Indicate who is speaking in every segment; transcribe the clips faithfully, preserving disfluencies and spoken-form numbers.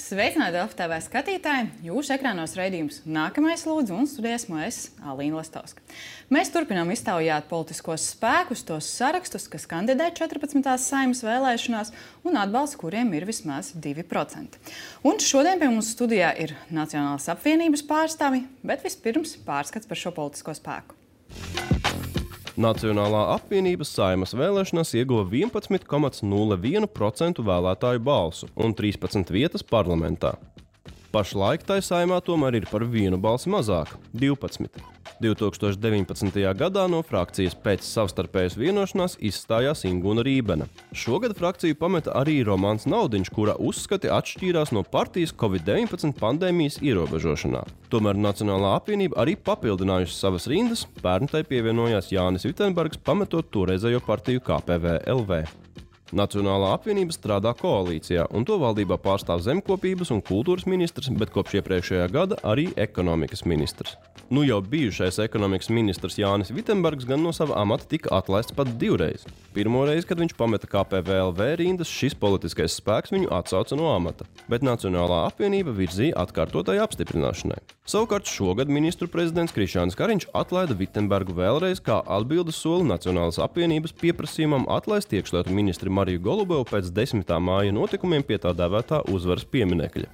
Speaker 1: Sveicināti Delfi T V skatītāji! Jūsu ekrānos raidījums Nākamais lūdzu un studijā esmu es, Alīna Lastovska. Mēs turpinām iztaujāt politiskos spēkus, tos sarakstus, kas kandidē četrpadsmitās Saeimas vēlēšanās un atbalsts, kuriem ir vismaz divi procenti. Un šodien pie mums studijā ir Nacionālās apvienības pārstāvi, bet vispirms pārskats par šo politisko spēku.
Speaker 2: Nacionālā apvienības Saeimas vēlēšanās ieguva vienpadsmit komats nulle viens procents vēlētāju balsu un trīspadsmit vietas parlamentā. Pašlaik tai Saeimā tomēr ir par vienu balsi mazāk – divpadsmit. divi tūkstoši deviņpadsmitajā gadā no frakcijas pēc savstarpējas vienošanās izstājās Inguna Rībena. Šogad frakciju pameta arī Romāns Naudiņš, kura uzskati atšķīrās no partijas Covid deviņpadsmit pandēmijas ierobežošanā. Tomēr Nacionālā apvienība arī papildinājusi savas rindas, pērn tai pievienojās Jānis Vitenbergs, pametot toreizējo partiju K P V L V. Nacionālā apvienība strādā koalīcijā, un to valdībā pārstāv zemkopības un kultūras ministrs, bet kopš iepriekšējā gada arī ekonomikas ministrs. Nu jau bijušais ekonomikas ministrs Jānis Vitenbergs gan no sava amata tika atlaists pat divreiz. Pirmo reizi, kad viņš pameta K P V L V rindas, šis politiskais spēks viņu atsauca no amata, bet Nacionālā apvienība virzīja atkārtotai apstiprināšanai. Savukārt šogad ministru prezidents Krišjānis Kariņš atlaida Vitenbergu vēlreiz kā atbildes soli Nacionālās apvienības pieprasījumam atlaist iekšlietu ministri Mariju Golubovu pēc desmitā māja notikumiem pie tā dēvētā uzvaras pieminekļa.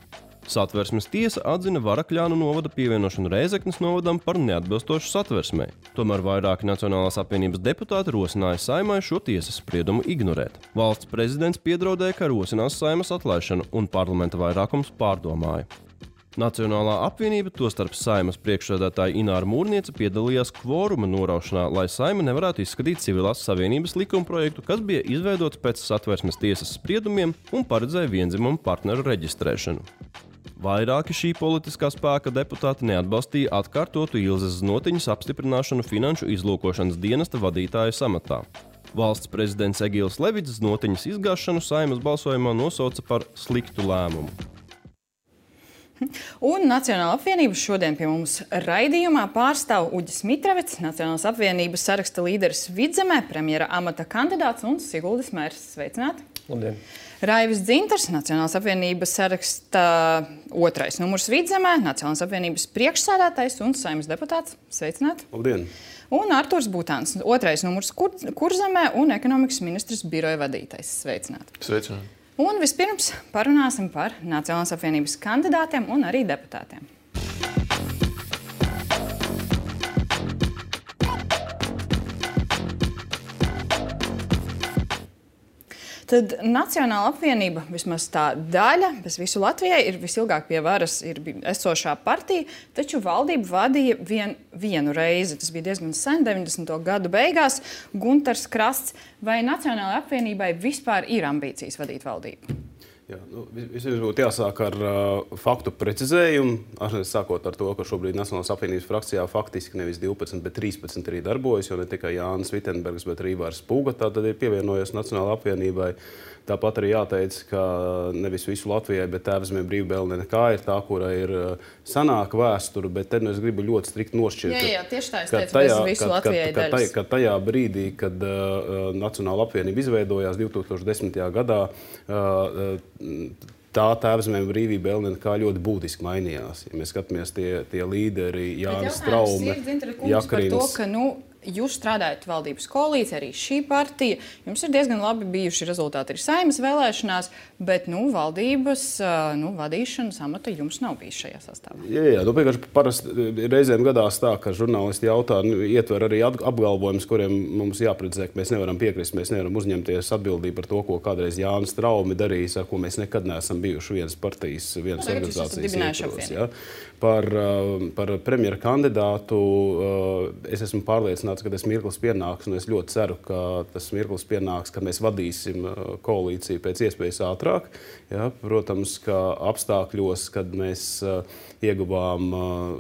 Speaker 2: Satversmes tiesa atzina Varakļānu novada pievienošanu Rēzeknes novadam par neatbilstošu satversmei. Tomēr vairāki Nacionālās apvienības deputāti rosināja Saeimai šo tiesas spriedumu ignorēt. Valsts prezidents piedraudēja, ka rosinās Saeimas atlaišanu, un parlamenta vairākums pārdomāja. Nacionālā apvienība, tostarp Saeimas priekšsēdētāja Ināra Mūrniece, piedalījās kvoruma noraušanā, lai Saeima nevarētu izskatīt civilās savienības likumprojektu, kas bija izveidots pēc satversmes tiesas spriedumiem un paredzēja viendzimumu partneru reģistrēšanu. Vairāki šī politiskā spēka deputāti neatbalstīja atkārtotu Ilzes Znotiņas apstiprināšanu finanšu izlūkošanas dienesta vadītāja samatā. Valsts prezidents Egils Levits Znotiņas izgāšanu Saeimas balsojumā nosauca par sliktu lēmumu.
Speaker 1: Un Nacionālā apvienība šodien pie mums raidījumā pārstāv Uģis Mitrevets, Nacionālās apvienības saraksta līderis Vidzemē, premjera amata kandidāts un Siguldis Mērs. Sveicināti!
Speaker 3: Labdien!
Speaker 1: Raivis Dzintars, Nacionālās apvienības saraksta otrais numurs Vidzemē, Nacionālās apvienības priekšsēdētājs un Saeimas deputāts. Sveicināti!
Speaker 3: Labdien!
Speaker 1: Un Arturs Būtāns, otrais numurs Kur Kurzemē un ekonomikas ministrs biroja vadītājs. Sveicināti!
Speaker 3: Sveicināti!
Speaker 1: Un vispirms parunāsim par Nacionālās apvienības kandidātiem un arī deputātiem. Tad Nacionālā apvienība, vismaz tā daļa, bez visu Latvijai, ir visilgāk pie varas ir esošā partija, taču valdību vadīja vien, vienu reizi. Tas bija diezgan sen, deviņdesmito gadu beigās, Guntars Krasts. Vai Nacionālajai apvienībai vispār ir ambīcijas vadīt valdību?
Speaker 3: Jā, nu, vispirms būtu jāsāk ar uh, faktu precizējumu, ar, sākot ar to, ka šobrīd Nacionālās apvienības frakcijā faktiski nevis divpadsmit, bet trīspadsmit arī darbojas, jo ne tikai Jānis Vitenbergs, bet arī Ivars Pūga tātad ir pievienojies Nacionālajai apvienībai. Tāpat arī jāteic, ka nevis visu Latvijai, bet Tēvzemē Brīvbēlne nekā ir tā, kura ir sanāka vēsture, bet te nu es gribu ļoti strikt nošķirt.
Speaker 1: Jā, jā, tieši tā es teicu, bez visu Latvijai daļas.
Speaker 3: Ka tajā brīdī, kad uh, Nacionāla apvienība izveidojās divi tūkstoši desmitajā gadā, uh, tā Tēvzemē Brīvbēlne nekā ļoti būtiski mainījās. Ja mēs skatāmies tie, tie līderi, Jānis Traume, Jakarins.
Speaker 1: Jūs strādājat valdības koalīcijā, arī šī partija. Jums ir diezgan labi bijuši rezultāti arī Saeimas vēlēšanās, bet nu, valdības nu, vadīšanas amata jums nav bijis šajā sastāvā.
Speaker 3: Jā, jā, nu, vienkārši parasti reizēm gadās tā, ka žurnālisti jautā, nu, ietver arī apgalvojumus, kuriem mums jāprecizē, ka mēs nevaram piekrist, mēs nevaram uzņemties atbildību par to, ko kādreiz Jānis Traume darījis, ar ko mēs nekad neesam bijuši vienas partijas, vienas organizācijas ietvaros. Ja? Par, par premjera kandidātu es esmu pārliecināts, ka tas mirklis pienāks, un es ļoti ceru, ka tas mirklis pienāks, kad mēs vadīsim koalīciju pēc iespējas ātrāk. Ja? Protams, ka apstākļos, kad mēs ieguvām,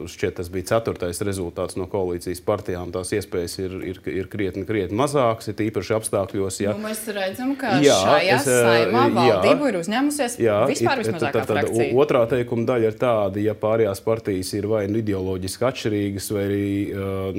Speaker 3: šķiet, tas bija ceturtais rezultāts no koalīcijas partijām, tās iespējas ir, ir, ir krietni, krietni mazāks, ir īpaši apstākļos. Ja.
Speaker 1: Nu, mēs redzam, ka jā, šajā es, Saeimā valdību ir uzņēmusies jā, vispār vismazākā
Speaker 3: tad, tad,
Speaker 1: frakcija.
Speaker 3: Otrā teikuma daļa ir tāda, ja pārējās partijas ir vai nu ideoloģiski atšķirīgas, vai arī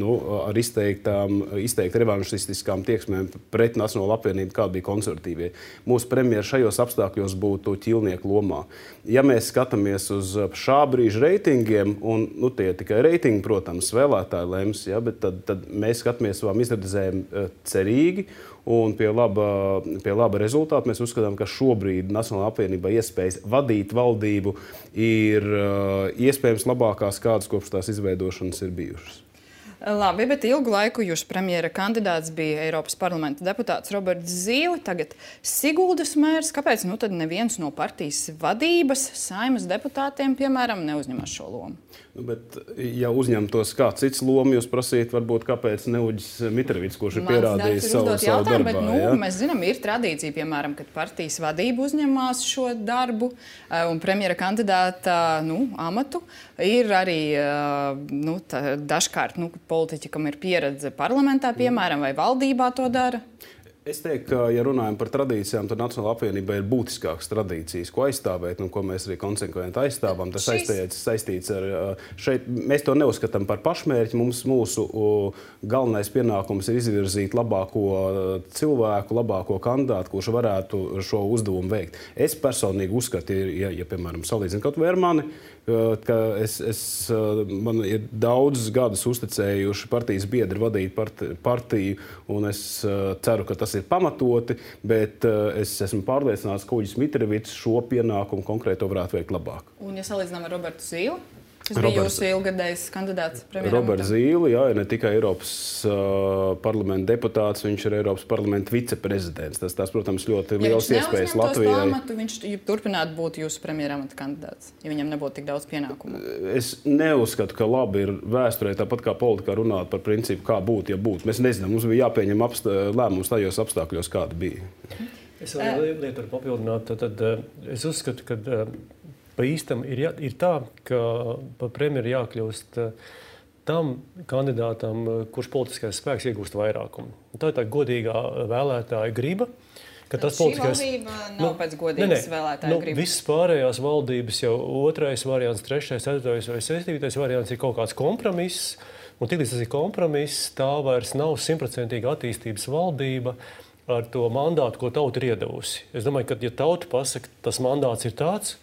Speaker 3: nu, ar izteikti izteiktām, izteikti revanšistiskām tieksmēm pret Nacionālo apvienību, kāda bija konservatīvie. Mūsu premjeri šajos apstākļos būtu ķīlnieku lomā. Ja mēs skatāmies uz šā brīža reitingiem, un nu, tie tikai reitingi, protams, vēlētāji lems, ja, bet tad, tad mēs skatāmies savām izredzēm cerīgi, un pie laba, pie laba rezultāta mēs uzskatām, ka šobrīd Nacionālajā apvienībā iespējas vadīt valdību ir uh, iespējams labākās, kādas kopš tās izveidošanas ir bijušas.
Speaker 1: Labi, bet ilgu laiku jūsu premjera kandidāts bija Eiropas parlamenta deputāts Roberts Zīle, tagad Siguldas mērs. Kāpēc nu tad neviens no partijas vadības, Saeimas deputātiem, piemēram, neuzņemas šo lomu?
Speaker 3: Nu, bet, ja uzņemtos kāds cits lomu, jūs prasīt, varbūt, kāpēc Neuģis Mitrovics, kurš ir pierādījis savu, savu darbā.
Speaker 1: Bet, nu,
Speaker 3: ja?
Speaker 1: Mēs zinām, ir tradīcija, piemēram, kad partijas vadība uzņemās šo darbu un premjera kandidāta nu, amatu. Ir arī nu, tā, dažkārt nu, politiķi, kam ir pieredze parlamentā, piemēram, vai valdībā to dara.
Speaker 3: Es teiktu, ka, ja runājam par tradīcijām, tad Nacionālā apvienība ir būtiskākas tradīcijas, ko aizstāvēt, un ko mēs arī konsekventi aizstāvam. Tas Šis... saistīts ar šeit. Mēs to neuzskatām par pašmērķi. Mums mūsu galvenais pienākums ir izvirzīt labāko cilvēku, labāko kandidātu, kurš varētu šo uzdevumu veikt. Es personīgi uzskatu, ja, ja piemēram, salīdzinu kaut vai ar mani, ka es, es, man ir daudzus gadus uzticējuši partijas biedri vadīt partiju, un es ceru, ka tas ir pamatoti, bet es esmu pārliecināts, ka Uģis Mitrovics šo pienākumu konkrēto varētu veikt labāk.
Speaker 1: Un ja salīdzinām ar Robertu Zīli? Tas bija jūsu ilgadējs kandidāts premjeram.
Speaker 3: Roberts Zīle, jā, ir ne tikai Eiropas uh, parlamenta deputāts, viņš ir Eiropas parlamenta viceprezidents. Tas, tas protams, ļoti liels ja iespējas Latvijai.
Speaker 1: Pamatu, viņš turpinātu būt jūsu premjeramata kandidāts, ja viņam nebūtu tik daudz pienākumu.
Speaker 3: Es neuzskatu, ka labi ir vēsturē, tāpat kā politikā runāt par principu, kā būt, ja būt. Mēs nezinām, mums bija jāpieņem apstā, lēmums tajos apstākļos, kāda bija.
Speaker 4: Es vēl lietu var papildināt. Tad, tad, es uzskatu, ka pa īstam ir, jā, ir tā, ka par premjeru jākļūst tam kandidātam, kurš politiskais spēks iegūst vairākumu. Tā ir tā godīgā vēlētāja griba. Ka tas
Speaker 1: šī
Speaker 4: politiskais...
Speaker 1: valdība nav nu, pēc godīgas ne, ne. vēlētāja
Speaker 4: nu,
Speaker 1: gribas.
Speaker 4: Visas pārējās valdības jau otrais variants, trešais, ceturtais vai septītais variants ir kaut kāds kompromiss. Un tiklīdz tas ir kompromiss, tā vairs nav simtprocentīga attīstības valdība ar to mandātu, ko tauta ir iedevusi. Es domāju, ka ja tauta pasaka, tas mandāts ir tāds,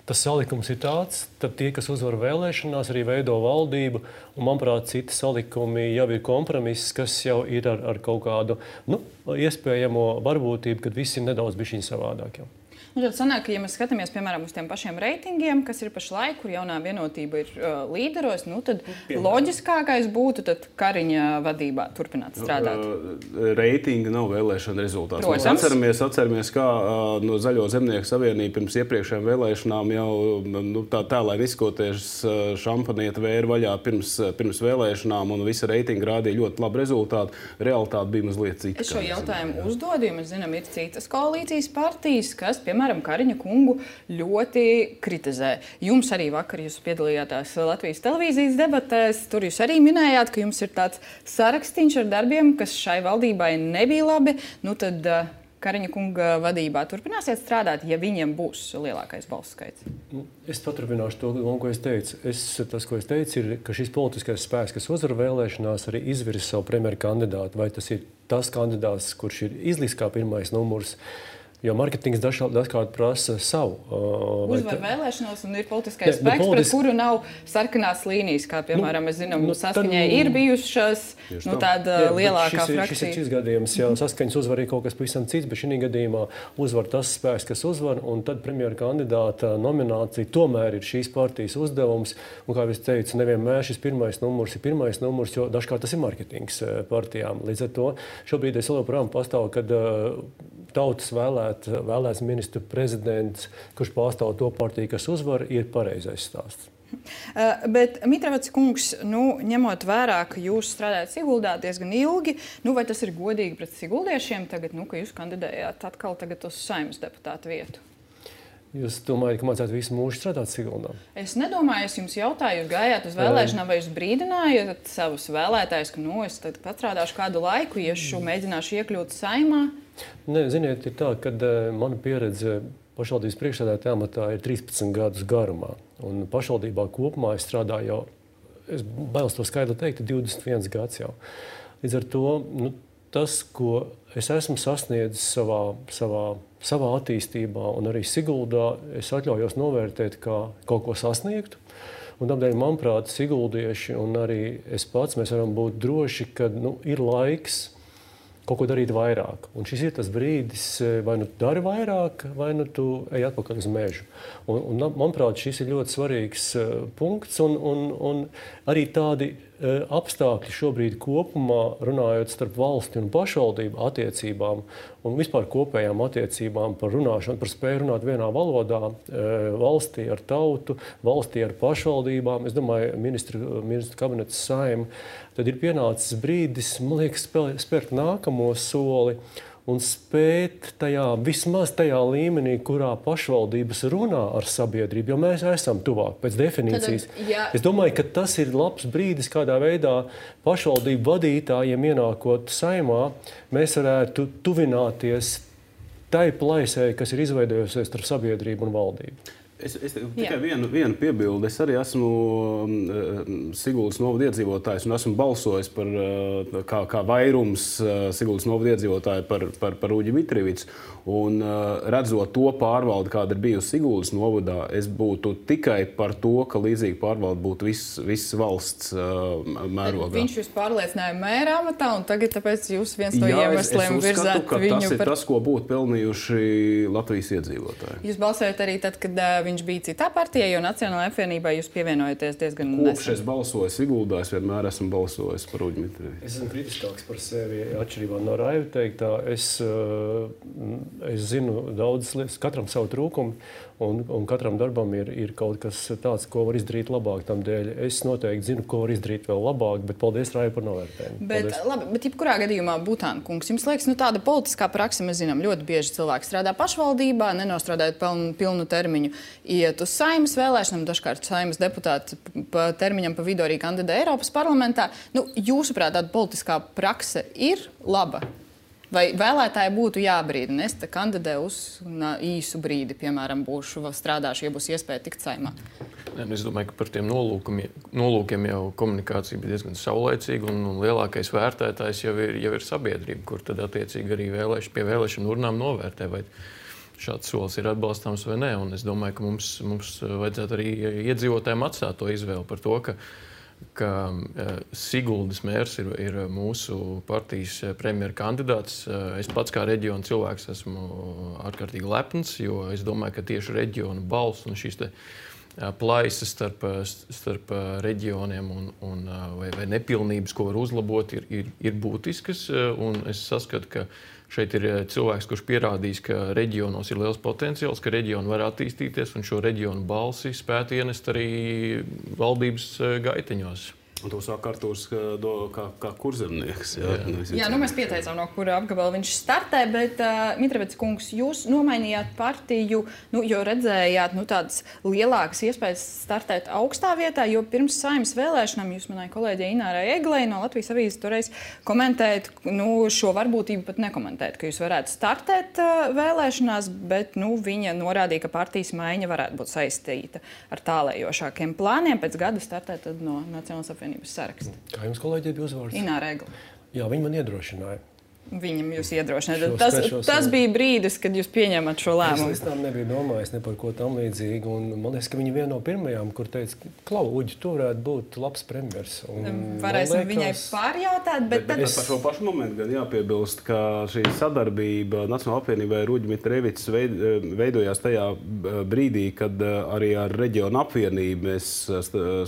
Speaker 4: tas salikums ir tāds, tad tie, kas uzvar vēlēšanās, arī veido valdību. Un, manuprāt, citi salikumi jau ir kompromiss, kas jau ir ar, ar kaut kādu nu, iespējamo varbūtību, kad viss ir nedaudz bišķiņ savādāk. Jau.
Speaker 1: Nu, tad sanāk, ka, ja mēs skatāmies, piemēram, uz tiem pašiem reitingiem, kas ir pašlaik, kur jaunā vienotība ir uh, līderos, nu, tad piemēram. Loģiskākais būtu tad Kariņa vadībā turpināt strādāt.
Speaker 3: Uh, reitingi nav vēlēšana rezultāts.
Speaker 1: Protams.
Speaker 3: Mēs atceramies, atceramies, kā uh, no Zaļo zemnieku savienība pirms iepriekšējām vēlēšanām jau nu, tā tēlēni izskoties uh, šampanieta vēra vaļā pirms, uh, pirms vēlēšanām, un visa reitinga rādīja ļoti labu rezultātu. Realitāte bija mazliet cita.
Speaker 1: Es šo jautājumu uzdodu, jo mēs zinām, ir citas koalīcijas partijas, kas, piemēram, Piemēram, Kariņa kungu ļoti kritizē. Jums arī vakar jūs piedalījāties Latvijas televīzijas debatēs. Tur jūs arī minējāt, ka jums ir tāds sarakstīns ar darbiem, kas šai valdībai nebija labi. Nu tad Kariņa kunga vadībā turpināsiet strādāt, ja viņiem būs lielākais balsu skaits?
Speaker 4: Es paturpināšu to, ko es teicu. Es, tas, ko es teicu, ir, ka šis politiskais spēks, kas uzvar vēlēšanās, arī izvirs savu premjeru kandidātu. Vai tas ir tas kandidāts, kurš ir izliks kā pirmais numurs? Jo mārketings dažkārt prasa savu.
Speaker 1: Uh, Uzvar tā... vēlēšanos un ir politiskais ne, spēks, politisk... pret kuru nav sarkanās līnijas, kā piemēram, nu, mēs zinām, nu, saskaņai tad... ir bijušas nu, tāda jā, lielākā
Speaker 4: šis
Speaker 1: frakcija.
Speaker 4: Šis ir šis gadījums, jā, saskaņas uzvar ir kaut kas pavisam cits, bet šī gadījumā uzvar tas spēks, kas uzvar, un tad premjera kandidāta nominācija tomēr ir šīs partijas uzdevums. Un, kā es teicu, nevienmēr šis pirmais numurs ir pirmais numurs, jo dažkārt tas ir mārketings partijām. Līdz ar to šobrīd es joprojām pastāvu, kad uh, tautas vēlēt, vēlēts ministru prezidents, kurš pārstāv to partiju, kas uzvar, ir pareizais stāsts.
Speaker 1: Uh, bet, Mitrovics kungs, nu, ņemot vērā, ka jūs strādājat Siguldā diezgan ilgi, nu, vai tas ir godīgi pret siguldiešiem tagad, nu, ka jūs kandidējāt atkal tagad uz Saeimas deputātu vietu?
Speaker 4: Jūs domājat, ka mācētu visu mūžu strādāt Siguldā?
Speaker 1: Es nedomāju, es jums jautāju, jūs gājāt uz vēlēšanām, vai jūs brīdinājāt savus vēlētājus, ka, nu, es tad pastrādāšu kādu laiku, ja šo mēģināšu iekļūt Saeimā?
Speaker 4: Nē, ziniet, ir tā, ka uh, mana pieredze pašvaldības priekšsēdētāja amatā ir trīspadsmit gadus garumā. Un pašvaldībā kopumā es strādāju jau, es bailos to skaidri teikt, divdesmit viens gads jau. Līdz ar to nu, tas, ko es esmu sasniedzis savā, savā, savā attīstībā un arī Siguldā, es atļaujos novērtēt kā kaut ko sasniegtu. Un tādēļ, manuprāt, siguldieši un arī es pats, mēs varam būt droši, ka nu, ir laiks kaut ko darīt vairāk. Un šis ir tas brīdis, vai nu tu dari vairāk, vai nu tu ej atpakaļ uz mežu. Un, un manuprāt, šis ir ļoti svarīgs uh, punkts un, un, un arī tādi uh, apstākļi šobrīd kopumā, runājot starp valsti un pašvaldību attiecībām un vispār kopējām attiecībām par runāšanu, par spēju runāt vienā valodā, uh, valstī ar tautu, valstī ar pašvaldībām. Es domāju, ministru, ministru kabinets Saeima, tad ir pienācis brīdis, man liekas, spērt nākamo soli un spēt tajā, vismaz tajā līmenī, kurā pašvaldības runā ar sabiedrību, jo mēs esam tuvāk pēc definīcijas.
Speaker 1: Tad, ja...
Speaker 4: Es domāju, ka tas ir labs brīdis, kādā veidā pašvaldību vadītājiem ienākot Saeimā, mēs varētu tuvināties tai plaisai, kas ir izveidojusies starp sabiedrību un valdību.
Speaker 3: Es, es tikai vienu, vienu piebildu. Es arī esmu um, Siguldas novada iedzīvotājs un esmu balsojis par, uh, kā, kā vairums uh, Siguldas novada iedzīvotāju par, par, par Uģi Mitrovicu. Un uh, redzot to pārvaldi, kāda ir bijusi Siguldas novadā, es būtu tikai par to, ka līdzīga pārvalde būtu viss vis valsts uh, mērogā.
Speaker 1: Viņš jūs pārliecināja mēra amatā, un tagad tāpēc jūs viens no
Speaker 3: Jā,
Speaker 1: iemesliem
Speaker 3: es, es uzskatu,
Speaker 1: virzāt viņu.
Speaker 3: Tas ir
Speaker 1: par...
Speaker 3: tas, ko būtu pelnījuši Latvijas iedzīvotāji.
Speaker 1: Jūs balsojat arī tad, kad uh, viņš bija citā partijā, jo Nacionālajā apvienībā jūs pievienojaties diezgan nesen.
Speaker 3: Kopš es balsoju Siguldā, es vienmēr esmu balsojis par Uģi Mitrovicu.
Speaker 4: Es esmu kritiskāks par sevi, atšķirībā no Raiva teiktā. Es, es zinu daudzas lietas, katram savu trūkumu, un, un katram darbam ir, ir kaut kas tāds, ko var izdarīt labāk. Tamdēļ es noteikti zinu, ko var izdarīt vēl labāk, bet paldies, Raiva, par novērtējumu.
Speaker 1: Bet, labi, bet jebkurā gadījumā, Butāna kungs, jums liekas, nu tāda politiskā praksa, mēs zinām, ļoti bieži cilvēki strādā pašvaldībā, nenostrādājot pilnu, pilnu termiņu, iet uz Saeimas vēlēšanām, dažkārt Saeimas deputāti pa termiņam pa vidu arī kandidē Eiropas parlamentā. Nu, jūsuprāt, tāda politiskā prakse ir laba? Vai vēlētāji būtu jābrīdina? Es te kandidēju uz īsu brīdi, piemēram, būšu strādāšu, ja būs iespēja tikt Saeimā.
Speaker 5: Es domāju, ka par tiem nolūkiem, nolūkiem jau komunikācija bija diezgan saulaicīga, un, un lielākais vērtētājs jau ir, jau ir sabiedrība, kur tad attiecīgi arī vēlēš, pie vēlēšanu urnām novērtē, vai šāds solis ir atbalstāms vai nē. Un es domāju, ka mums, mums vajadzētu arī iedzīvotājiem atstāt to izvēli par to, ka ka Siguldas mērs ir, ir mūsu partijas premjera kandidāts. Es pats kā reģiona cilvēks esmu ārkārtīgi lepns, jo es domāju, ka tieši reģiona balss un šīs te plaisas starp, starp reģioniem un, un, vai, vai nepilnības, ko var uzlabot, ir, ir, ir būtiskas. Un es saskatu, ka šeit ir cilvēks, kurš pierādījis, ka reģionos ir liels potenciāls, ka reģioni var attīstīties un šo reģionu balsi spētu ienest arī valdības gaiteņos.
Speaker 3: Un to saka Artūrs kā, kā kurzemnieks. Jā,
Speaker 1: jā. jā, nu mēs pieteicām, no kura apgabala viņš startē, bet, uh, Mitrovica kungs, jūs nomainījāt partiju, nu, jo redzējāt nu, tādas lielākas iespējas startēt augstā vietā, jo pirms Saeimas vēlēšanām jūs manai kolēģei Inārai Eglei no Latvijas avīzes toreiz komentējat, nu, šo varbūtību pat nekomentēt, ka jūs varētu startēt uh, vēlēšanās, bet nu, viņa norādīja, ka partijas maiņa varētu būt saistīta ar tālējošākiem plāniem pēc gada startēt tad no Nacionālās apvienības saraksta.
Speaker 4: Kā jums kolēģi bija uzvārds?
Speaker 1: Ināra Egle.
Speaker 4: Jā, viņi man iedrošināja.
Speaker 1: Viņam jūs iedrošināt. Tas, tas bija brīdis, kad jūs pieņemat šo lēmumu.
Speaker 4: Es tam nebiju domājis ne par ko tam līdzīgu. Un man liekas, ka viņi viena no pirmajām, kur teica, Klau, Uģi, tu varētu būt labs premjers.
Speaker 1: Varēsim liekas, viņai pārjautāt, bet,
Speaker 3: bet tad... Es... Par šo pašu momentu gan jāpiebilst, ka šī sadarbība Nacionālajā apvienībā ar Uģi Mitrovicu veidojās tajā brīdī, kad arī ar reģionu apvienību mēs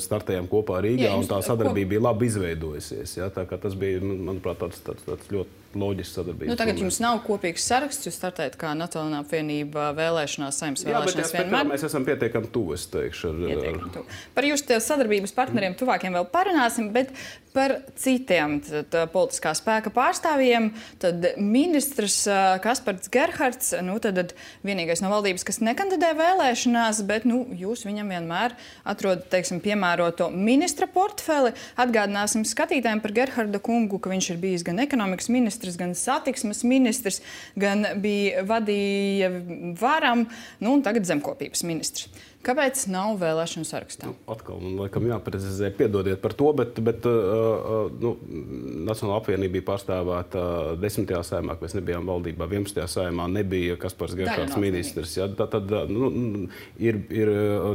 Speaker 3: startējām kopā Rīgā, jā, un tā sadarbība ko... bija labi izveidojusies. Ja? Tā kā tas bija, manuprāt, tāds, tāds, tāds ļoti loģisks sadarbības.
Speaker 1: Nu, tagad jums nav kopīgs saraksts, jūs startējat kā Nacionālā apvienība vēlēšanās, Saeimas vēlēšanās
Speaker 3: jā,
Speaker 1: vienmēr.
Speaker 3: Mēs esam pietiekami tuvu, es teikšu. Ar,
Speaker 1: ar... Par jūsu sadarbības partneriem tuvākiem vēl parunāsim, bet par citiem tad, politiskā spēka pārstāvjiem. Tad ministrs Kaspards Gerhards, nu, tad vienīgais no valdības, kas nekandidē vēlēšanās, bet nu, jūs viņam vienmēr atrodat, teiksim, piemēroto ministra portfeli. Atgādināsim skatītājiem par Gerharda kungu, ka viņš ir bijis gan ekonomikas ministrs, gan satiksmes ministrs, gan bija vadīja varam, nu, un tagad zemkopības ministrs. Kāpēc nav vēlēšanu sarakstā?
Speaker 3: Nu, atkal, man laikam jāprecizē, piedodiet par to, bet, bet uh, nu, Nacionālā apvienība bija pārstāvēta desmitajā saimā, ka mēs nebijām valdībā, vienpadsmitajā saimā nebija Kaspars Gerhards ministrs. Ja, tā, tad, nu, ir, ir,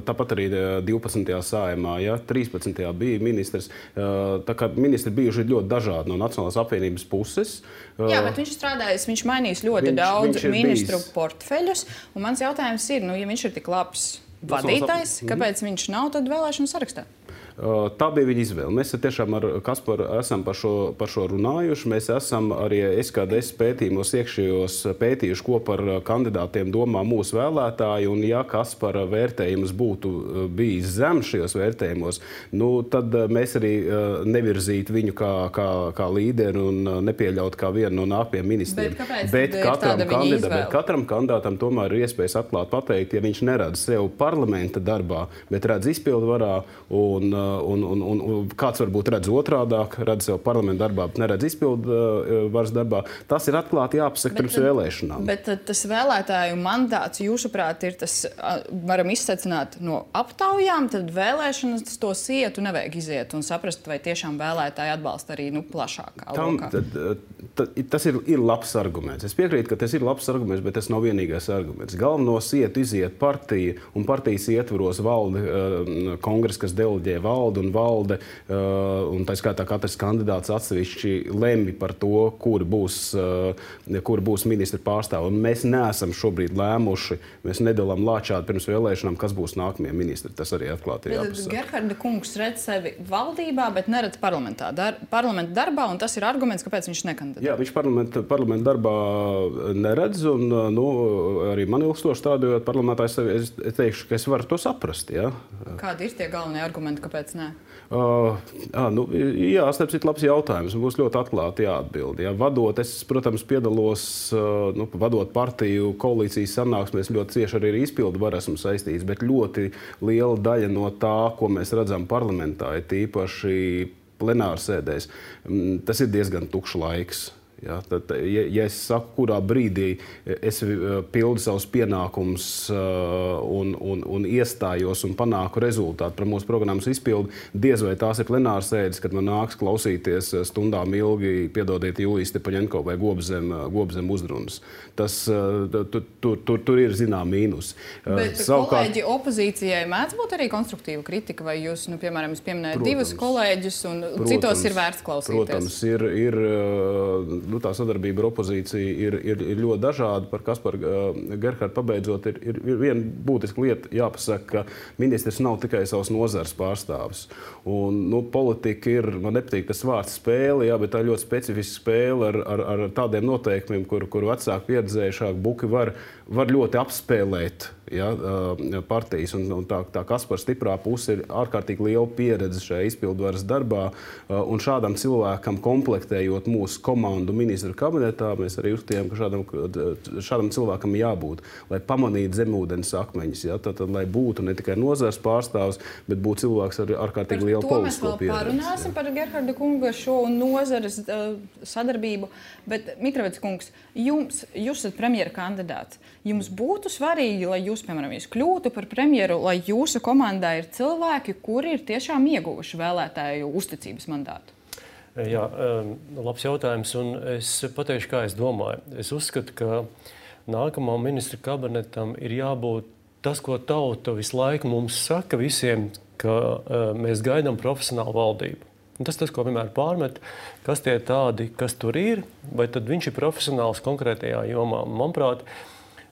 Speaker 3: tāpat arī divpadsmitajā saimā, ja, trīspadsmitajā bija ministrs. Uh, tā kā ministri bijuši ļoti dažādi no Nacionālās apvienības puses. Uh,
Speaker 1: Jā, bet viņš strādājis, viņš mainījis ļoti
Speaker 3: viņš,
Speaker 1: daudz
Speaker 3: viņš
Speaker 1: ministru
Speaker 3: bijis.
Speaker 1: portfeļus. Un mans jautājums ir, nu, ja viņš ir tik labs vadītājs, kāpēc viņš nav tad vēlēšanu sarakstā?
Speaker 3: Tā bija viņa izvēle. Mēs tiešām ar Kasparu esam par šo, par šo runājuši. Mēs esam arī S K D S pētījumos iekšējos pētījuši, ko par kandidātiem domā mūsu vēlētāji. Un ja Kaspara vērtējums būtu bijis zems šajos vērtējumos, nu, tad mēs arī nevirzītu viņu kā, kā, kā līderi un nepieļautu kā vienu no nākamajiem ministriem.
Speaker 1: Bet,
Speaker 3: bet, katram kandidā, bet katram kandidātam tomēr ir iespējas atklāt pateikt, ja viņš neredz sev parlamenta darbā, bet redz izpildvarā un Un, un, un, un kāds varbūt redz otrādāk, redz sev parlamentu darbā, bet neredz izpildu uh, varas darbā. Tas ir atklāti jāpasaka bet, pirms vēlēšanām.
Speaker 1: Bet tas vēlētāju mandāts, jūsuprāt, ir tas, varam izsecināt no aptaujām, tad vēlēšanas tos iet un nevajag iziet un saprast, vai tiešām vēlētāji atbalsta arī nu, plašākā
Speaker 3: Tam,
Speaker 1: lokā.
Speaker 3: Tad, tad, tas ir, ir labs arguments. Es piekrītu, ka tas ir labs arguments, bet tas nav vienīgais arguments. Galvenos iet iziet partija un partijas ietvaros valde uh, kongress, kas deleģē valde un valde, uh, un tā skaitā katrs kandidāts atsevišķi lemj par to, kur būs, uh, kur būs ministra pārstāvi. Un mēs neesam šobrīd lēmuši, mēs nedalām lāčādi pirms vēlēšanām, kas būs nākamie ministri. Tas arī atklāti ir jāpasaka.
Speaker 1: Gerharda kungs redz sevi valdībā, bet neredz parlamentā, dar, parlamenta darbā, un tas ir arguments, kāpēc viņš nekandidē.
Speaker 3: Jā, viņš parlamenta, parlamenta darbā neredz, un nu, arī man ilgstoši strādājot parlamentā, es, es, es teikšu, ka es varu to saprast. Ja?
Speaker 1: Kādi ir tie galvenie argumenti, kāpēc? Nē.
Speaker 3: Uh, à, nu, jā, tas ir labs jautājums. Būs ļoti atklāti jāatbild. Ja. Vadot, es, protams, piedalos, uh, nu, vadot partiju koalīcijas sanāksmēs, ļoti cieši arī ar izpildu varu esmu saistīts, bet ļoti liela daļa no tā, ko mēs redzam parlamentā, ir tīpaši plenārsēdēs, tas ir diezgan tukšs laiks. Ja, tad, ja, ja es saku, kurā brīdī es pildu savus pienākumus uh, un, un, un iestājos un panāku rezultātu par mūsu programmas izpildi, diez vai tās ir plenārsēdes, kad man nāks klausīties stundām ilgi, piedodiet, Julijas Stepaņenko vai Gobzem, Gobzem uzrunas. Tas, uh, tur, tur, tur, tur ir zinām mīnus.
Speaker 1: Bet uh, savukārt... kolēģi opozīcijai mēdz būt arī konstruktīva kritika, vai jūs, nu, piemēram, jūs pieminējat divus kolēģus un protams, citos ir vērts klausīties?
Speaker 3: Protams, ir... ir uh, Nu, tā sadarbība ar opozīciju ir, ir, ir ļoti dažāda. Par Kasparu uh, Gerhardu pabeidzot, ir, ir, ir viena būtiska lieta jāpasaka, ka ministrs nav tikai savas nozares pārstāvis. Un, nu, politika ir, man nepatīk tas vārds spēle, jā, bet tā ir ļoti specifiska spēle ar, ar, ar tādiem noteikumiem, kur, kur vecāki pieredzējušāki buki var, var ļoti apspēlēt. Ja, partijas, un, un tā, tā Kaspara stiprā puse ir ārkārtīgi liela pieredze šajā izpildvaras darbā, un šādam cilvēkam komplektējot mūsu komandu ministru kabinetā, mēs arī uzstājām, ka šādam, šādam cilvēkam jābūt, lai pamanītu zemūdens akmeņus, ja, tad, tad, lai būtu ne tikai nozars pārstāvs, bet būtu cilvēks ar ārkārtīgi lielu politisko pieredzi.
Speaker 1: To mēs vēl parunāsim ja. Par Gerharda kunga šo nozares uh, sadarbību, bet Mitrovics kungs, jums, jūs esat premjera kandidāts. Jums būtu svarīgi, lai jūs, piemēram, jūs kļūtu par premjeru, lai jūsu komandā ir cilvēki, kuri ir tiešām ieguvuši vēlētāju uzticības mandātu?
Speaker 4: Jā, labs jautājums, un es pateikšu, kā es domāju. Es uzskatu, ka nākamā ministra kabinetam ir jābūt tas, ko tauta visu laiku mums saka visiem, ka mēs gaidām profesionālu valdību. Un tas tas, ko vienmēr pārmet, kas tie tādi, kas tur ir, vai tad viņš ir profesionāls konkrētajā jomā. Manuprāt,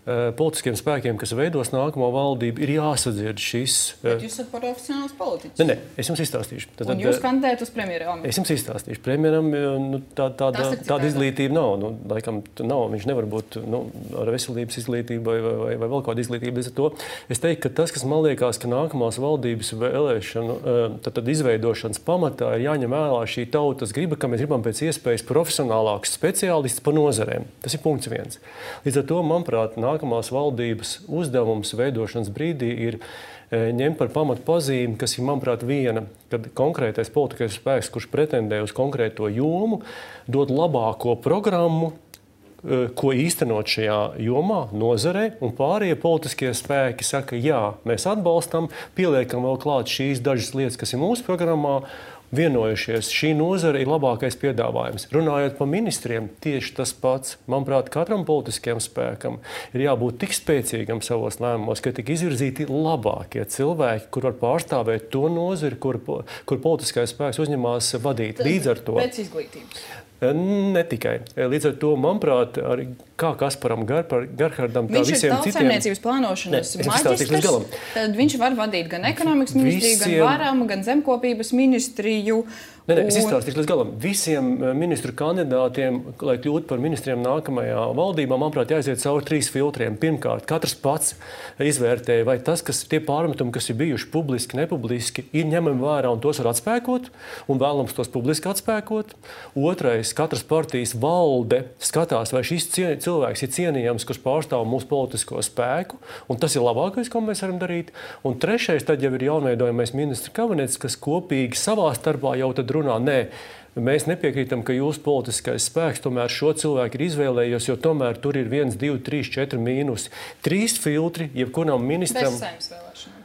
Speaker 4: politiskiem spēkiem, kas veidos nākamo valdību, ir jāsadzird šis...
Speaker 1: Bet jūs esat profesionāls politiķis.
Speaker 4: Nē, nē, es jums izstāstīšu. Tad,
Speaker 1: un jūs kandidējat uz premjeru amatu?
Speaker 4: Es jums izstāstīšu. Premjeram nu, tā, tāda, tāda izglītība nav. Nu, laikam, nav. Viņš nevar būt nu, ar veselības izglītību vai, vai, vai vēl kādu izglītību. Līdz ar to es teiktu, ka tas, kas man liekas, ka nākamās valdības vēlēšanu, tad, tad izveidošanas pamatā ir jāņem vērā šī tautas griba, ka mēs gribam pēc iespējas profesionālākus speciālistus par nozarēm. Tas ir punkts viens. Līdz ar to, manuprāt, nākamās valdības uzdevums veidošanas brīdī ir ņemt par pamatu pazīmi, kas ir, manuprāt, viena, kad konkrētais politiskais spēks, kurš pretendē uz konkrēto jomu, dod labāko programmu, ko īstenot šajā jomā, nozarē, un pārējie politiskie spēki saka, jā, mēs atbalstam, pieliekam vēl klāt šīs dažas lietas, kas ir mūsu programmā, vienojušies. Šī nozara ir labākais piedāvājums. Runājot par ministriem, tieši tas pats. Manuprāt, katram politiskajam spēkam ir jābūt tik spēcīgam savos lēmumos, ka tik izvirzīti labākie cilvēki, kur var pārstāvēt to nozari, kur, kur politiskais spēks uzņemās vadīt. Līdz ar to.
Speaker 1: Pēc izglītības.
Speaker 4: Ne tikai. Līdz ar to, manuprāt, arī kā Kasparam Garpar, Garhardam, tā
Speaker 1: viņš
Speaker 4: visiem citiem...
Speaker 1: Viņš ir tautsaimniecības plānošanas maģistrs, tad viņš var vadīt gan ekonomikas ministriju, visiem... gan varam, gan zemkopības ministriju.
Speaker 4: Nē, nē, es izstāstīšu līdz galam. Visiem ministru kandidātiem, lai kļūtu par ministriem nākamajā valdībā, manuprāt, jāiziet cauri trīs filtriem. Pirmkārt, katrs pats izvērtē, vai tas, kas tie pārmetumi, kas ir bijuši publiski, nepubliski, ir ņemami vērā un tos var atspēkot, un vēlams tos publiski atspēkot. Otrais, katras partijas valde skatās, vai šis cilvēks ir cienījams, kurš pārstāv mūsu politisko spēku, un tas ir labākais, ko mēs varam darīt. Un trešais, tad jau ir jaunveidojamais ministru kabinets, kas kopīgi savā starpā jau tad runā, nē, mēs nepiekrītam, ka jūsu politiskais spēks tomēr šo cilvēku ir izvēlējies, jo tomēr tur ir viens, divi, trīs, četri mīnusi. Trīs filtri, jebkuram ministram...
Speaker 1: Bez saimnes vēlēšanām.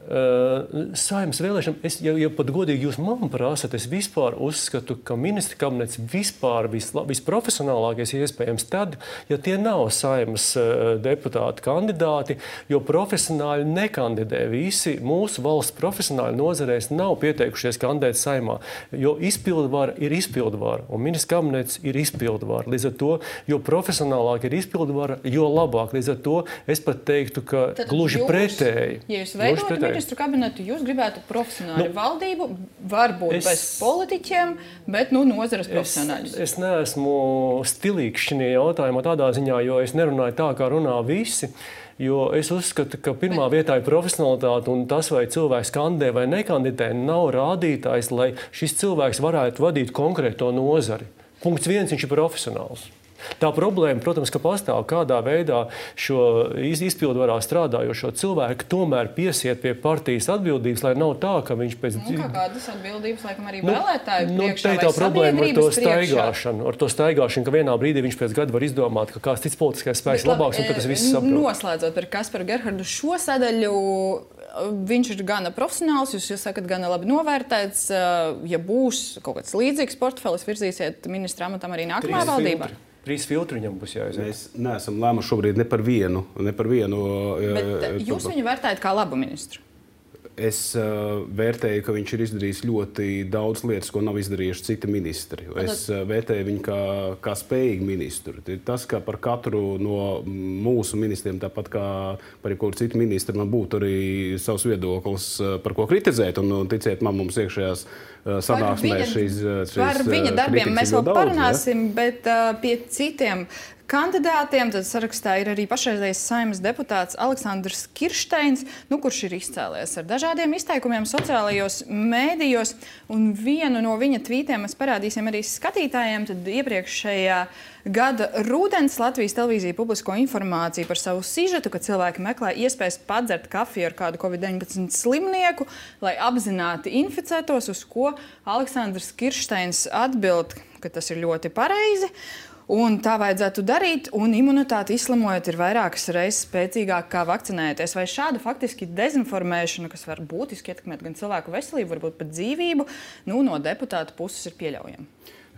Speaker 4: Uh, Saimnes vēlēšanām, es, ja, ja pat godīgi jūs man prasat, es vispār uzskatu, ka ministra kabinets vispār visla, visprofesionālākais iespējams tad, ja tie nav saimnes uh, deputāti kandidāti, jo profesionāļi nekandidē. Visi mūsu valsts profesionāļi nozarēs nav pieteikušies kandidēt saimā, jo izpildvara ir izpildvara, un ministra kabinets ir izpildvara. Līdz ar to, jo profesionālāk ir izpildvara, jo labāk. Līdz ar to es pat teiktu, ka
Speaker 1: Tad
Speaker 4: gluži
Speaker 1: jūs,
Speaker 4: pretēji.
Speaker 1: Ja jūs veidotu ministru kabinetu, jūs gribētu profesionāli nu, valdību, varbūt es, bez politiķiem, bet nu, nozares profesionāļus.
Speaker 4: Es, es neesmu stilīgs šajā jautājumā tādā ziņā, jo es nerunāju tā, kā runā visi. Jo es uzskatu, ka pirmā bet... vietā ir profesionalitāte, un tas, vai cilvēks kandidē vai nekandidē, nav rādītājs, lai šis cilvēks varētu vadīt konkrēto nozari. Punkts viens, viņš ir profesionāls. Tā problēma, protams, ka pastāv, kādā veidā šo izpildvarā strādājošo cilvēku tomēr piesiet pie partijas atbildības, lai nav tā, ka viņš pēc...
Speaker 1: Nu, kā kādas atbildības, laikam, arī vēlētāju
Speaker 4: nu,
Speaker 1: priekšā
Speaker 4: nu, vai problēma ar to
Speaker 1: staigāšanu,
Speaker 4: ar to staigāšanu, ka vienā brīdī viņš pēc gada var izdomāt, ka kāds cits politiskais spēks
Speaker 1: Bet,
Speaker 4: labāks, un ka tas viss saprot.
Speaker 1: Noslēdzot par Kasparu Gerhardu šo sadaļu, viņš ir gana profesionāls, jūs, jūs sakat, gana labi novērtēts. Ja būs kaut kāds līdzīgs portfelis, virzīsiet ministra amatam arī nākamā valdībā?
Speaker 4: Trīs filtri viņam būs jāiziet.
Speaker 3: Mēs neesam lēmuši šobrīd ne par vienu. Ne par vienu
Speaker 1: Bet jūs viņu vērtējat kā labu ministru?
Speaker 3: Es uh, vērtēju, ka viņš ir izdarījis ļoti daudz lietas, ko nav izdarījuši citi ministri. Es uh, vērtēju viņu kā, kā spējīgu ministru. Tas, ka par katru no mūsu ministriem, tāpat kā par jebkuru citu ministru, man būtu arī savs viedoklis, uh, par ko kritizēt. Un, un ticiet man, mums iekšējās uh, sanāksmēs šīs, šīs
Speaker 1: par viņa darbiem mēs vēl
Speaker 3: daudz,
Speaker 1: parunāsim,
Speaker 3: ja?
Speaker 1: bet uh, pie citiem kandidātiem tad sarakstā ir arī pašreizējais Saeimas deputāts Aleksandrs Kiršteins, nu, kurš ir izcēlies ar dažādiem izteikumiem sociālajos mēdījos. Un vienu no viņa tvītiem mēs parādīsim arī skatītājiem. Tad iepriekšējā gada rudens Latvijas televīzija publisko informāciju par savu sižetu, ka cilvēki meklē iespējas padzert kafiju ar kādu covid deviņpadsmit slimnieku, lai apzināti inficētos, uz ko Aleksandrs Kiršteins atbild, ka tas ir ļoti pareizi. Un tā vajadzētu darīt, un imunitāte izslimojot ir vairākas reizes spēcīgāk kā vakcinēties. Vai šāda faktiski dezinformēšana, kas var būtiski ietekmēt gan cilvēku veselību, varbūt pat dzīvību, nu, no deputāta puses ir pieļaujama?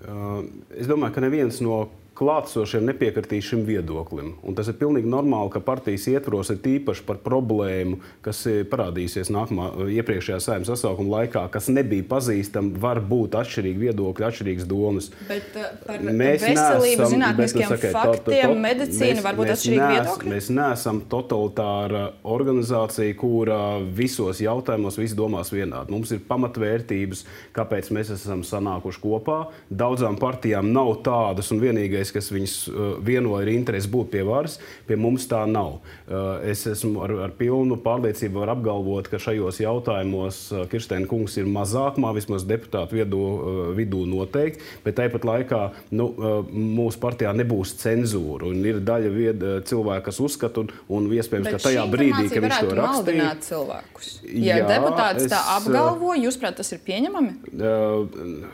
Speaker 3: Uh, es domāju, ka neviens no klātsošiem nepiekritīs šim viedoklim. Un tas ir pilnīgi normāli, ka partijas ietvaros ir tīpaši par problēmu, kas parādīsies nākamā iepriekšējā Saeimas sasaukuma laikā, kas nebija pazīstama, var būt atšķirīgi viedokļi, atšķirīgas domas.
Speaker 1: Bet uh, par mēs veselību, neesam, zinātniskiem bet, faktiem, to, to, to, medicīnu mēs, varbūt atšķirīgi viedokļi?
Speaker 3: Mēs neesam totalitāra organizācija, kura visos jautājumos visi domās vienādi. Mums ir pamatvērtības, kāpēc mēs esam sanākuši kopā. Daudzām partijām nav tādas un vienīgais, kas viņus vienoja ar interesi būt pie varas, pie mums tā nav. Es esmu ar, ar pilnu pārliecību var apgalvot, ka šajos jautājumos Kiršteina kungs ir mazākumā, vismaz deputātu vidū, vidū noteikti, bet tāpat laikā nu, mūsu partijā nebūs cenzūra. Un ir daļa vied, cilvēku, kas uzskata, un, un iespējams,
Speaker 1: bet
Speaker 3: ka tajā brīdī, kad viņš to rakstīja...
Speaker 1: cilvēkus. Ja jā, deputāts es, tā apgalvo, jūs prāt, tas ir pieņemami?
Speaker 3: Uh,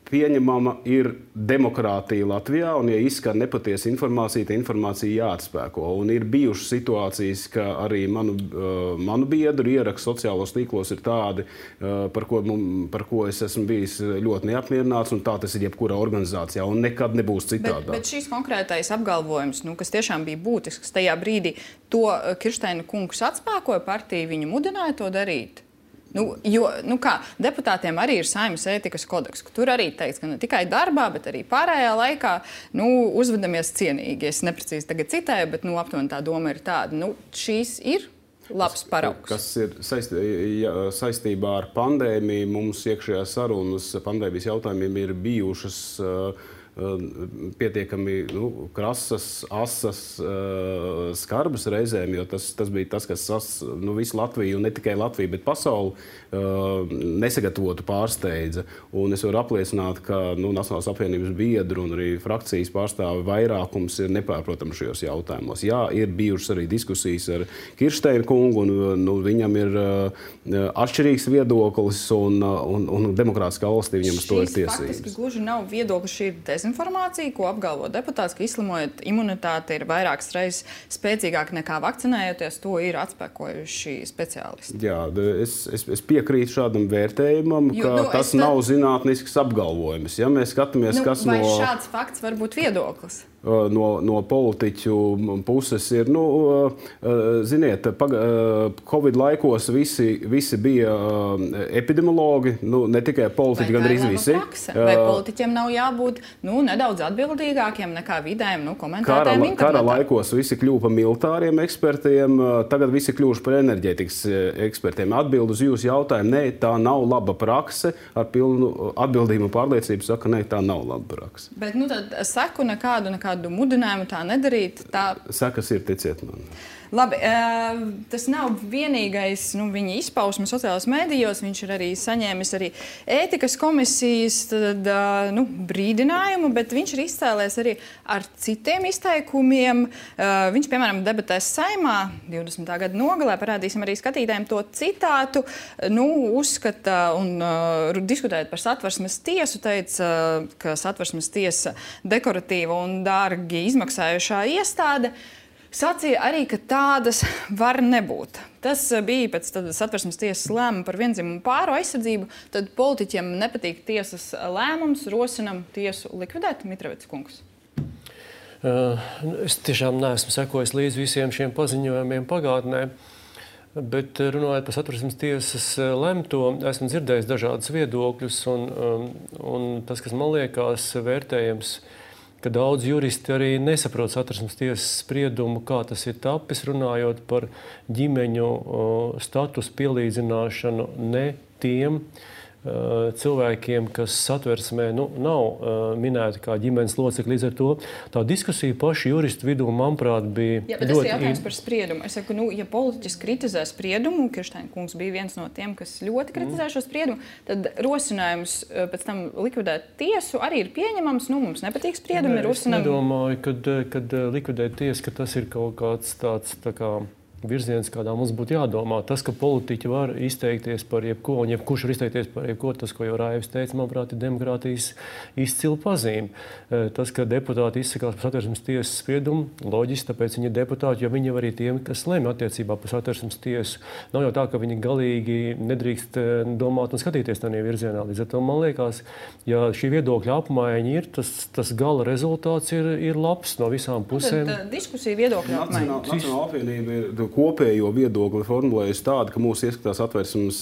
Speaker 3: pieņemama ir demokrātija Latvijā, un ja izskan nepatiesa informācija, tā informācija jāatspēko. Un ir bijušas situācijas, ka arī manu, manu biedru ieraksti sociālos tīklos ir tādi, par ko, par ko es esmu bijis ļoti neapmierināts, un tā tas ir jebkurā organizācijā, un nekad nebūs citādi.
Speaker 1: Bet, bet šīs konkrētais apgalvojums, nu, kas tiešām bija būtisks tajā brīdī, to Kirsteina kungs atspēkoja, partija viņu mudināja to darīt. Nu, jo, nu kā, deputātiem arī ir Saeimas ētikas kodeks, tur arī teikts, ka ne tikai darbā, bet arī pārējā laikā nu, uzvedamies cienīgi. Es neprecīzi tagad citēju, bet nu, aptuveni tā doma ir tāda. Nu, šīs ir labs paraugs.
Speaker 3: Kas ir saist, ja, saistībā ar pandēmiju, mums iekšējās sarunas pandēmijas jautājumiem ir bijušas uh, pietiekami nu, krasas, asas, uh, skarbas reizēm, jo tas, tas bija tas, kas sas, nu, visu Latviju, un ne tikai Latviju, bet pasauli uh, nesagatavotu pārsteidza. Un es varu apliecināt, ka nu, Nacionālās apvienības biedru un arī frakcijas pārstāvi vairākums ir nepārprotams šajos jautājumos. Jā, ir bijušas arī diskusijas ar Kirsteina kungu, un nu, viņam ir uh, atšķirīgs viedoklis, un, un, un demokrātiskā valstī viņam uz to ir tiesības.
Speaker 1: Šīs faktiski gluži nav viedoklis, šī ir dezinformācija, ko apgalvo deputāts, ka izslimojot imunitāte ir vairākas reizes spēcīgāk nekā vakcinējoties. To ir atspēkojuši speciālisti. Jā,
Speaker 3: es, es, es piekrītu šādam vērtējumam, jo, ka nu, tas tad... nav zinātnisks apgalvojums. Ja mēs skatāmies,
Speaker 1: nu,
Speaker 3: kas
Speaker 1: vai
Speaker 3: no...
Speaker 1: šāds fakts var būt viedoklis?
Speaker 3: No, no politiķu puses ir, nu, ziniet, Covid laikos visi, visi bija epidemiologi, nu, ne tikai politiķi, gan arī visi.
Speaker 1: Vai politiķiem nav jābūt nu, nedaudz atbildīgākiem nekā vidējiem nu, komentētājiem internetā?
Speaker 3: Kara laikos visi kļuva par militāriem ekspertiem, tagad visi kļuvuši par enerģētikas ekspertiem. Atbild uz jūsu jautājumu, nē, tā nav laba prakse, ar pilnu atbildību un pārliecību saka, nē, tā nav laba prakse.
Speaker 1: Bet, nu, tad seku nekādu, nekādu mudinājumu tā nedarīt. Tā...
Speaker 3: Sekas ir, ticiet man.
Speaker 1: Labi, tas nav vienīgais nu, viņa izpausme sociālajos mēdījos. Viņš ir arī saņēmis arī ētikas komisijas tad, nu, brīdinājumu, bet viņš ir izcēlēs arī ar citiem izteikumiem. Viņš, piemēram, debatēs Saeimā divdesmitā gada nogalē, parādīsim arī skatītājiem to citātu, nu, uzskata un uh, diskutējot par Satversmes tiesu, teica, ka Satversmes tiesa dekoratīva un dārgi izmaksājušā iestāde. Sacīja arī, ka tādas var nebūt. Tas bija pēc Satversmes tiesas lēmuma par viendzimumu pāru aizsardzību. Tad politiķiem nepatīk tiesas lēmums, rosinam tiesu likvidēt. Mitrovics kungs.
Speaker 4: Uh, es tiešām neesmu sekojis līdz visiem šiem paziņojumiem pagātnē, bet runājot par Satversmes tiesas lemto, esmu dzirdējis dažādas viedokļus, un, um, un tas, kas man liekas vērtējams, ka daudz juristi arī nesaprot Satversmes tiesas spriedumu, kā tas ir tapis, runājot par ģimeņu statusu pielīdzināšanu ne tiem uh, cilvēkiem, kas Satversmē nu, nav uh, minēti kā ģimenes locekļi. Līdz ar to tā diskusija paši juristu vidū, manuprāt, bija
Speaker 1: Jā, bet
Speaker 4: ļoti...
Speaker 1: tas ir jautājums par spriedumu. Es saku, nu, ja politiķis kritizē spriedumu, Kirsteina kungs bija viens no tiem, kas ļoti kritizē šo spriedumu, tad rosinājums pēc tam likvidēt tiesu arī ir pieņemams. Nu, mums nepatīk spriedumi.
Speaker 4: Nē,
Speaker 1: rosinām...
Speaker 4: Es nedomāju, kad, kad likvidēt tiesu, ka tas ir kaut kāds tāds tā kā virziens, kādā mums būtu jādomā. Tas, ka politiķi var izteikties par jebko, un jebkurš var izteikties par jebko, tas, ko jau Raivs teica, manuprāt, ir demokrātijas izcila pazīme. Tas, ka deputāti izsakās par Satversmes tiesas spriedumu, loģiski, tāpēc viņi ir deputāti, jo viņi jau arī tiem, kas lemj attiecībā par Satversmes tiesu. Nav jau tā, ka viņi galīgi nedrīkst domāt un skatīties tādā virzienā. Līdz ar to man liekas, ja šī viedokļa apmaiņa ir, tas, tas gala rezultāts ir, ir labs no visām pusēm.
Speaker 1: Tad diskusija viedokļa apmaiņa.
Speaker 3: Nacionālā apvienība ir kopējo viedokli formulējusi tādu, ka mūsu ieskatās Satversmes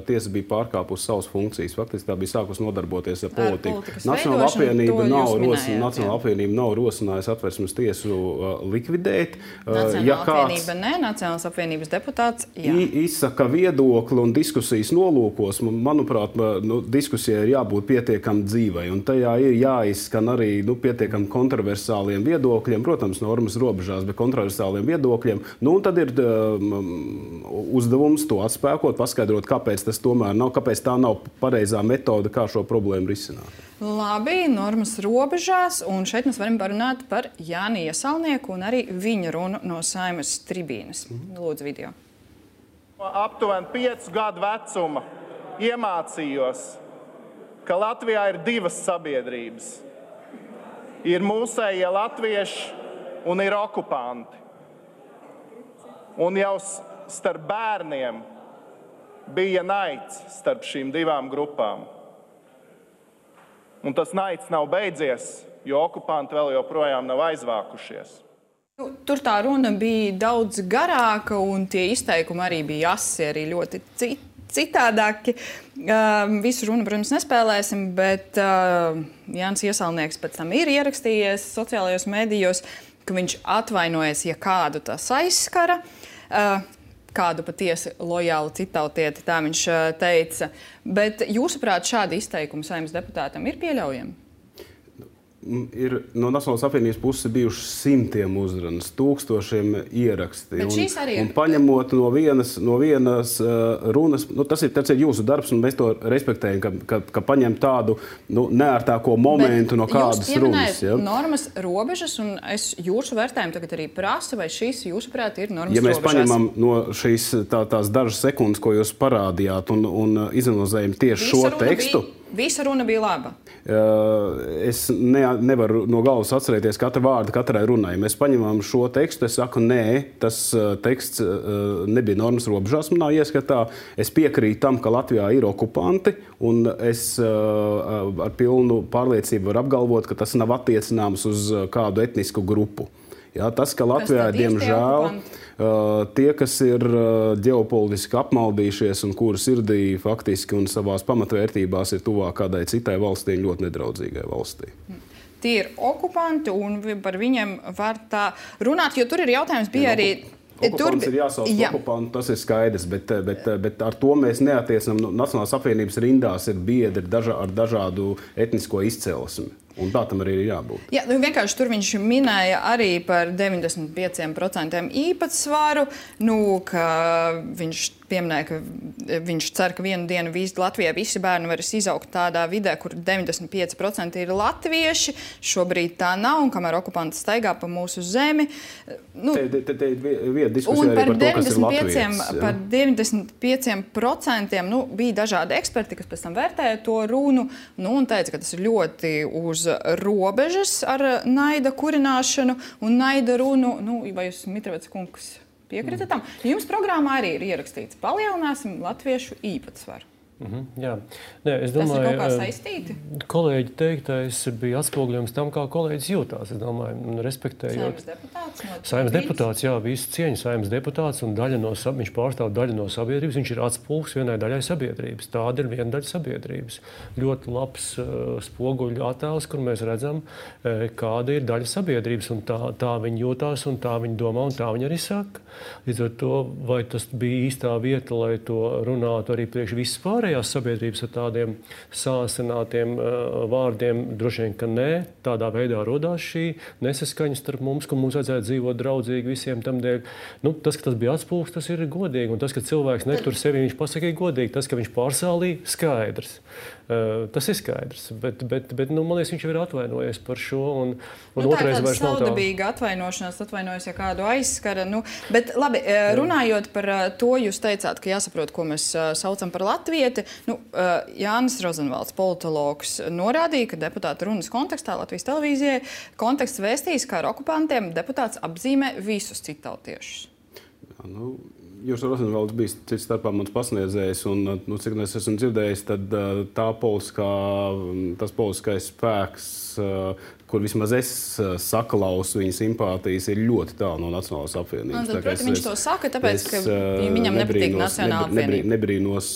Speaker 3: tiesa bija pārkāpusi savas funkcijas. Faktiski tā bija sākusi nodarboties ar politiku. Nacionālā apvienība nav, rosin, Nacionālā apvienība nav rosinājusi Satversmes tiesu uh, likvidēt.
Speaker 1: Nacionālā ja apvienība ne, Nacionālās apvienības deputāts, jā.
Speaker 3: Izsaka viedokli un diskusijas nolūkos. Manuprāt, nu, diskusijai ir jābūt pietiekami dzīvai, un tajā ir jāizskan arī nu, pietiekami kontroversāliem viedokļiem, protams, normas robežās, bet kontroversāliem viedokļiem. Nu, un tad ir uzdevums to atspēkot, paskaidrot, kāpēc tas tomēr nav, kāpēc tā nav pareizā metode, kā šo problēmu risināt.
Speaker 1: Labi, normas robežās, un šeit mēs varam parunāt par Jāni Iesalnieku un arī viņa runu no Saeimas tribīnes. Lūdzu, video.
Speaker 6: Aptuveni piecu gadu vecuma iemācījos ka Latvijā ir divas sabiedrības. Ir mūsējie latvieši un ir okupanti. Un jau starp bērniem bija naids starp šīm divām grupām. Un tas naids nav beidzies, jo okupanti vēl joprojām nav aizvākušies.
Speaker 1: Tur tā runa bija daudz garāka, un tie izteikumi arī bija asi, arī ļoti citādāki. Uh, visu runu, protams, nespēlēsim, bet uh, Jānis Iesalnieks pēc tam ir ierakstījies sociālajos medijos, ka viņš atvainojas, ja kādu tas aizskara, uh, kādu patiesi lojālu citautieti, tā viņš uh, teica. Bet jūsuprāt, šādi izteikumi Saeimas deputātam ir pieļaujami?
Speaker 3: Ir no Nacionālās apvienības puses bijušas simtiem uzrunas, tūkstošiem ieraksti.
Speaker 1: Bet šīs arī ir.
Speaker 3: Un, un paņemot no vienas, no vienas uh, runas, nu, tas, ir, tas ir jūsu darbs, un mēs to respektējam, ka, ka, ka paņem tādu nu, neērtāko momentu
Speaker 1: Bet
Speaker 3: no kādas runas.
Speaker 1: Ja? Normas robežas, un es jūsu vērtējumu tagad arī prasu, vai šīs, jūsuprāt, ir normas robežas?
Speaker 3: Ja mēs
Speaker 1: robežās?
Speaker 3: paņemam no šīs tā, tās dažas sekundes, ko jūs parādījāt, un, un izanalizējam tieši
Speaker 1: Visa
Speaker 3: šo tekstu,
Speaker 1: bija... Visa runa bija laba.
Speaker 3: Es ne, nevaru no galvas atcerēties katru vārdu katrai runai. Mēs paņemam šo tekstu, es saku, nē, tas teksts nebija normas robežās manā ieskatā. Es piekrītu tam, ka Latvijā ir okupanti, un es ar pilnu pārliecību varu apgalvot, ka tas nav attiecināms uz kādu etnisku grupu. Jā, tas, ka Latvijā, diemžēl, tie, kas ir ģeopolitiski apmaldījušies un kuru sirdī faktiski un savās pamatvērtībās ir tuvāk kādai citai valstī, ļoti nedraudzīgai valstī.
Speaker 1: Tie ir okupanti, un par viņiem var tā runāt, jo tur ir jautājums bija arī...
Speaker 3: Okupants ir jāsauc
Speaker 1: Jā.
Speaker 3: okupantu, tas ir skaidrs, bet, bet, bet ar to mēs neatiecinām. Nacionālās apvienības rindās ir biedri daža, ar dažādu etnisko izcelsmi. Un tā tam arī ir jābūt.
Speaker 1: Jā, nu vienkārši tur viņš minēja arī par deviņdesmit pieciem procentiem īpatsvaru, nu, ka viņš pieminēja, ka viņš cer, ka vienu dienu visi Latvijā visi bērni varēs izaugt tādā vidē, kur deviņdesmit pieci procenti ir latvieši. Šobrīd tā nav, un kamēr okupanti staigā pa mūsu zemi. Nu,
Speaker 3: te, te, te ir viena diskusija arī par to, kas ir latvietis.
Speaker 1: Par deviņdesmit pieciem procentiem nu, bija dažādi eksperti, kas pēc tam vērtēja to runu, nu, un teica, ka tas ir ļoti uz robežas ar naida kurināšanu un naida runu. Nu, vai jūs, Mitrovets kungs, piekritat tam? Jums programmā arī ir ierakstīts, palielināsim latviešu īpatsvaru.
Speaker 4: Mm-hmm, jā. Nē, es domāju,
Speaker 1: tas ir kaut kā saistīti?
Speaker 4: Kolēģi teiktais bija atspoguļojums tam, kā kolēģis jūtās. Es domāju, respektējot.
Speaker 1: Saeimas deputāts? No
Speaker 4: Saeimas deputāts, jā, visu cieņu Saeimas deputāts, un daļa no, viņš pārstāv daļu no sabiedrības, viņš ir atspulgs vienai daļai sabiedrības. Tāda ir viena daļa sabiedrības. Ļoti labs uh, spoguļu attēls, kur mēs redzam, uh, kāda ir daļa sabiedrības, un tā, tā viņi jūtās, un tā viņi domā, un tā viņi arī saka. Līdz ar to, vai tas bija īstā vieta, lai to runātu arī priekš visas pārējās sabiedrības ar tādiem sāsinātiem uh, vārdiem, droši vien, ka nē, tādā veidā rodās šī nesaskaņa starp mums, ka mums vajadzētu dzīvot draudzīgi visiem tam dēļ. Nu, tas, ka tas bija atspulgs, tas ir godīgi, un tas, ka cilvēks netur sevi, viņš pasaka, ir godīgi. Tas, ka viņš pārsālīja, skaidrs. Uh, tas ir skaidrs, bet, bet, bet nu, man liekas, viņš jau ir atvainojies par šo, un, un
Speaker 1: nu,
Speaker 4: otrais vairs nav tā.
Speaker 1: Saudabīga atvainošanās, atvainojas, ja kādu aizskara. Nu, bet labi, Jā. runājot par to, jūs teicāt, ka jāsaprot, ko mēs saucam par latvieti. Nu, Jānis Rozenvalds, politologs, norādīja, ka deputāta runas kontekstā Latvijas televīzijai konteksts vēstījis, kā ar okupantiem deputāts apzīmē visus citautiešus.
Speaker 3: Jā, nu... Jūs Rozenvalds bija cits starpā mans pasniedzējs, un, nu, cik es esmu dzirdējis, tad tā politiskā, tas politiskais spēks, kur vismaz es saklausu viņa simpātijas, ir ļoti tālu no Nacionālās apvienības.
Speaker 1: No, tad, viņš
Speaker 3: es,
Speaker 1: to saka, tāpēc,
Speaker 3: es,
Speaker 1: ka viņam nepatīk Nacionālā apvienība.
Speaker 3: Nebrīnos,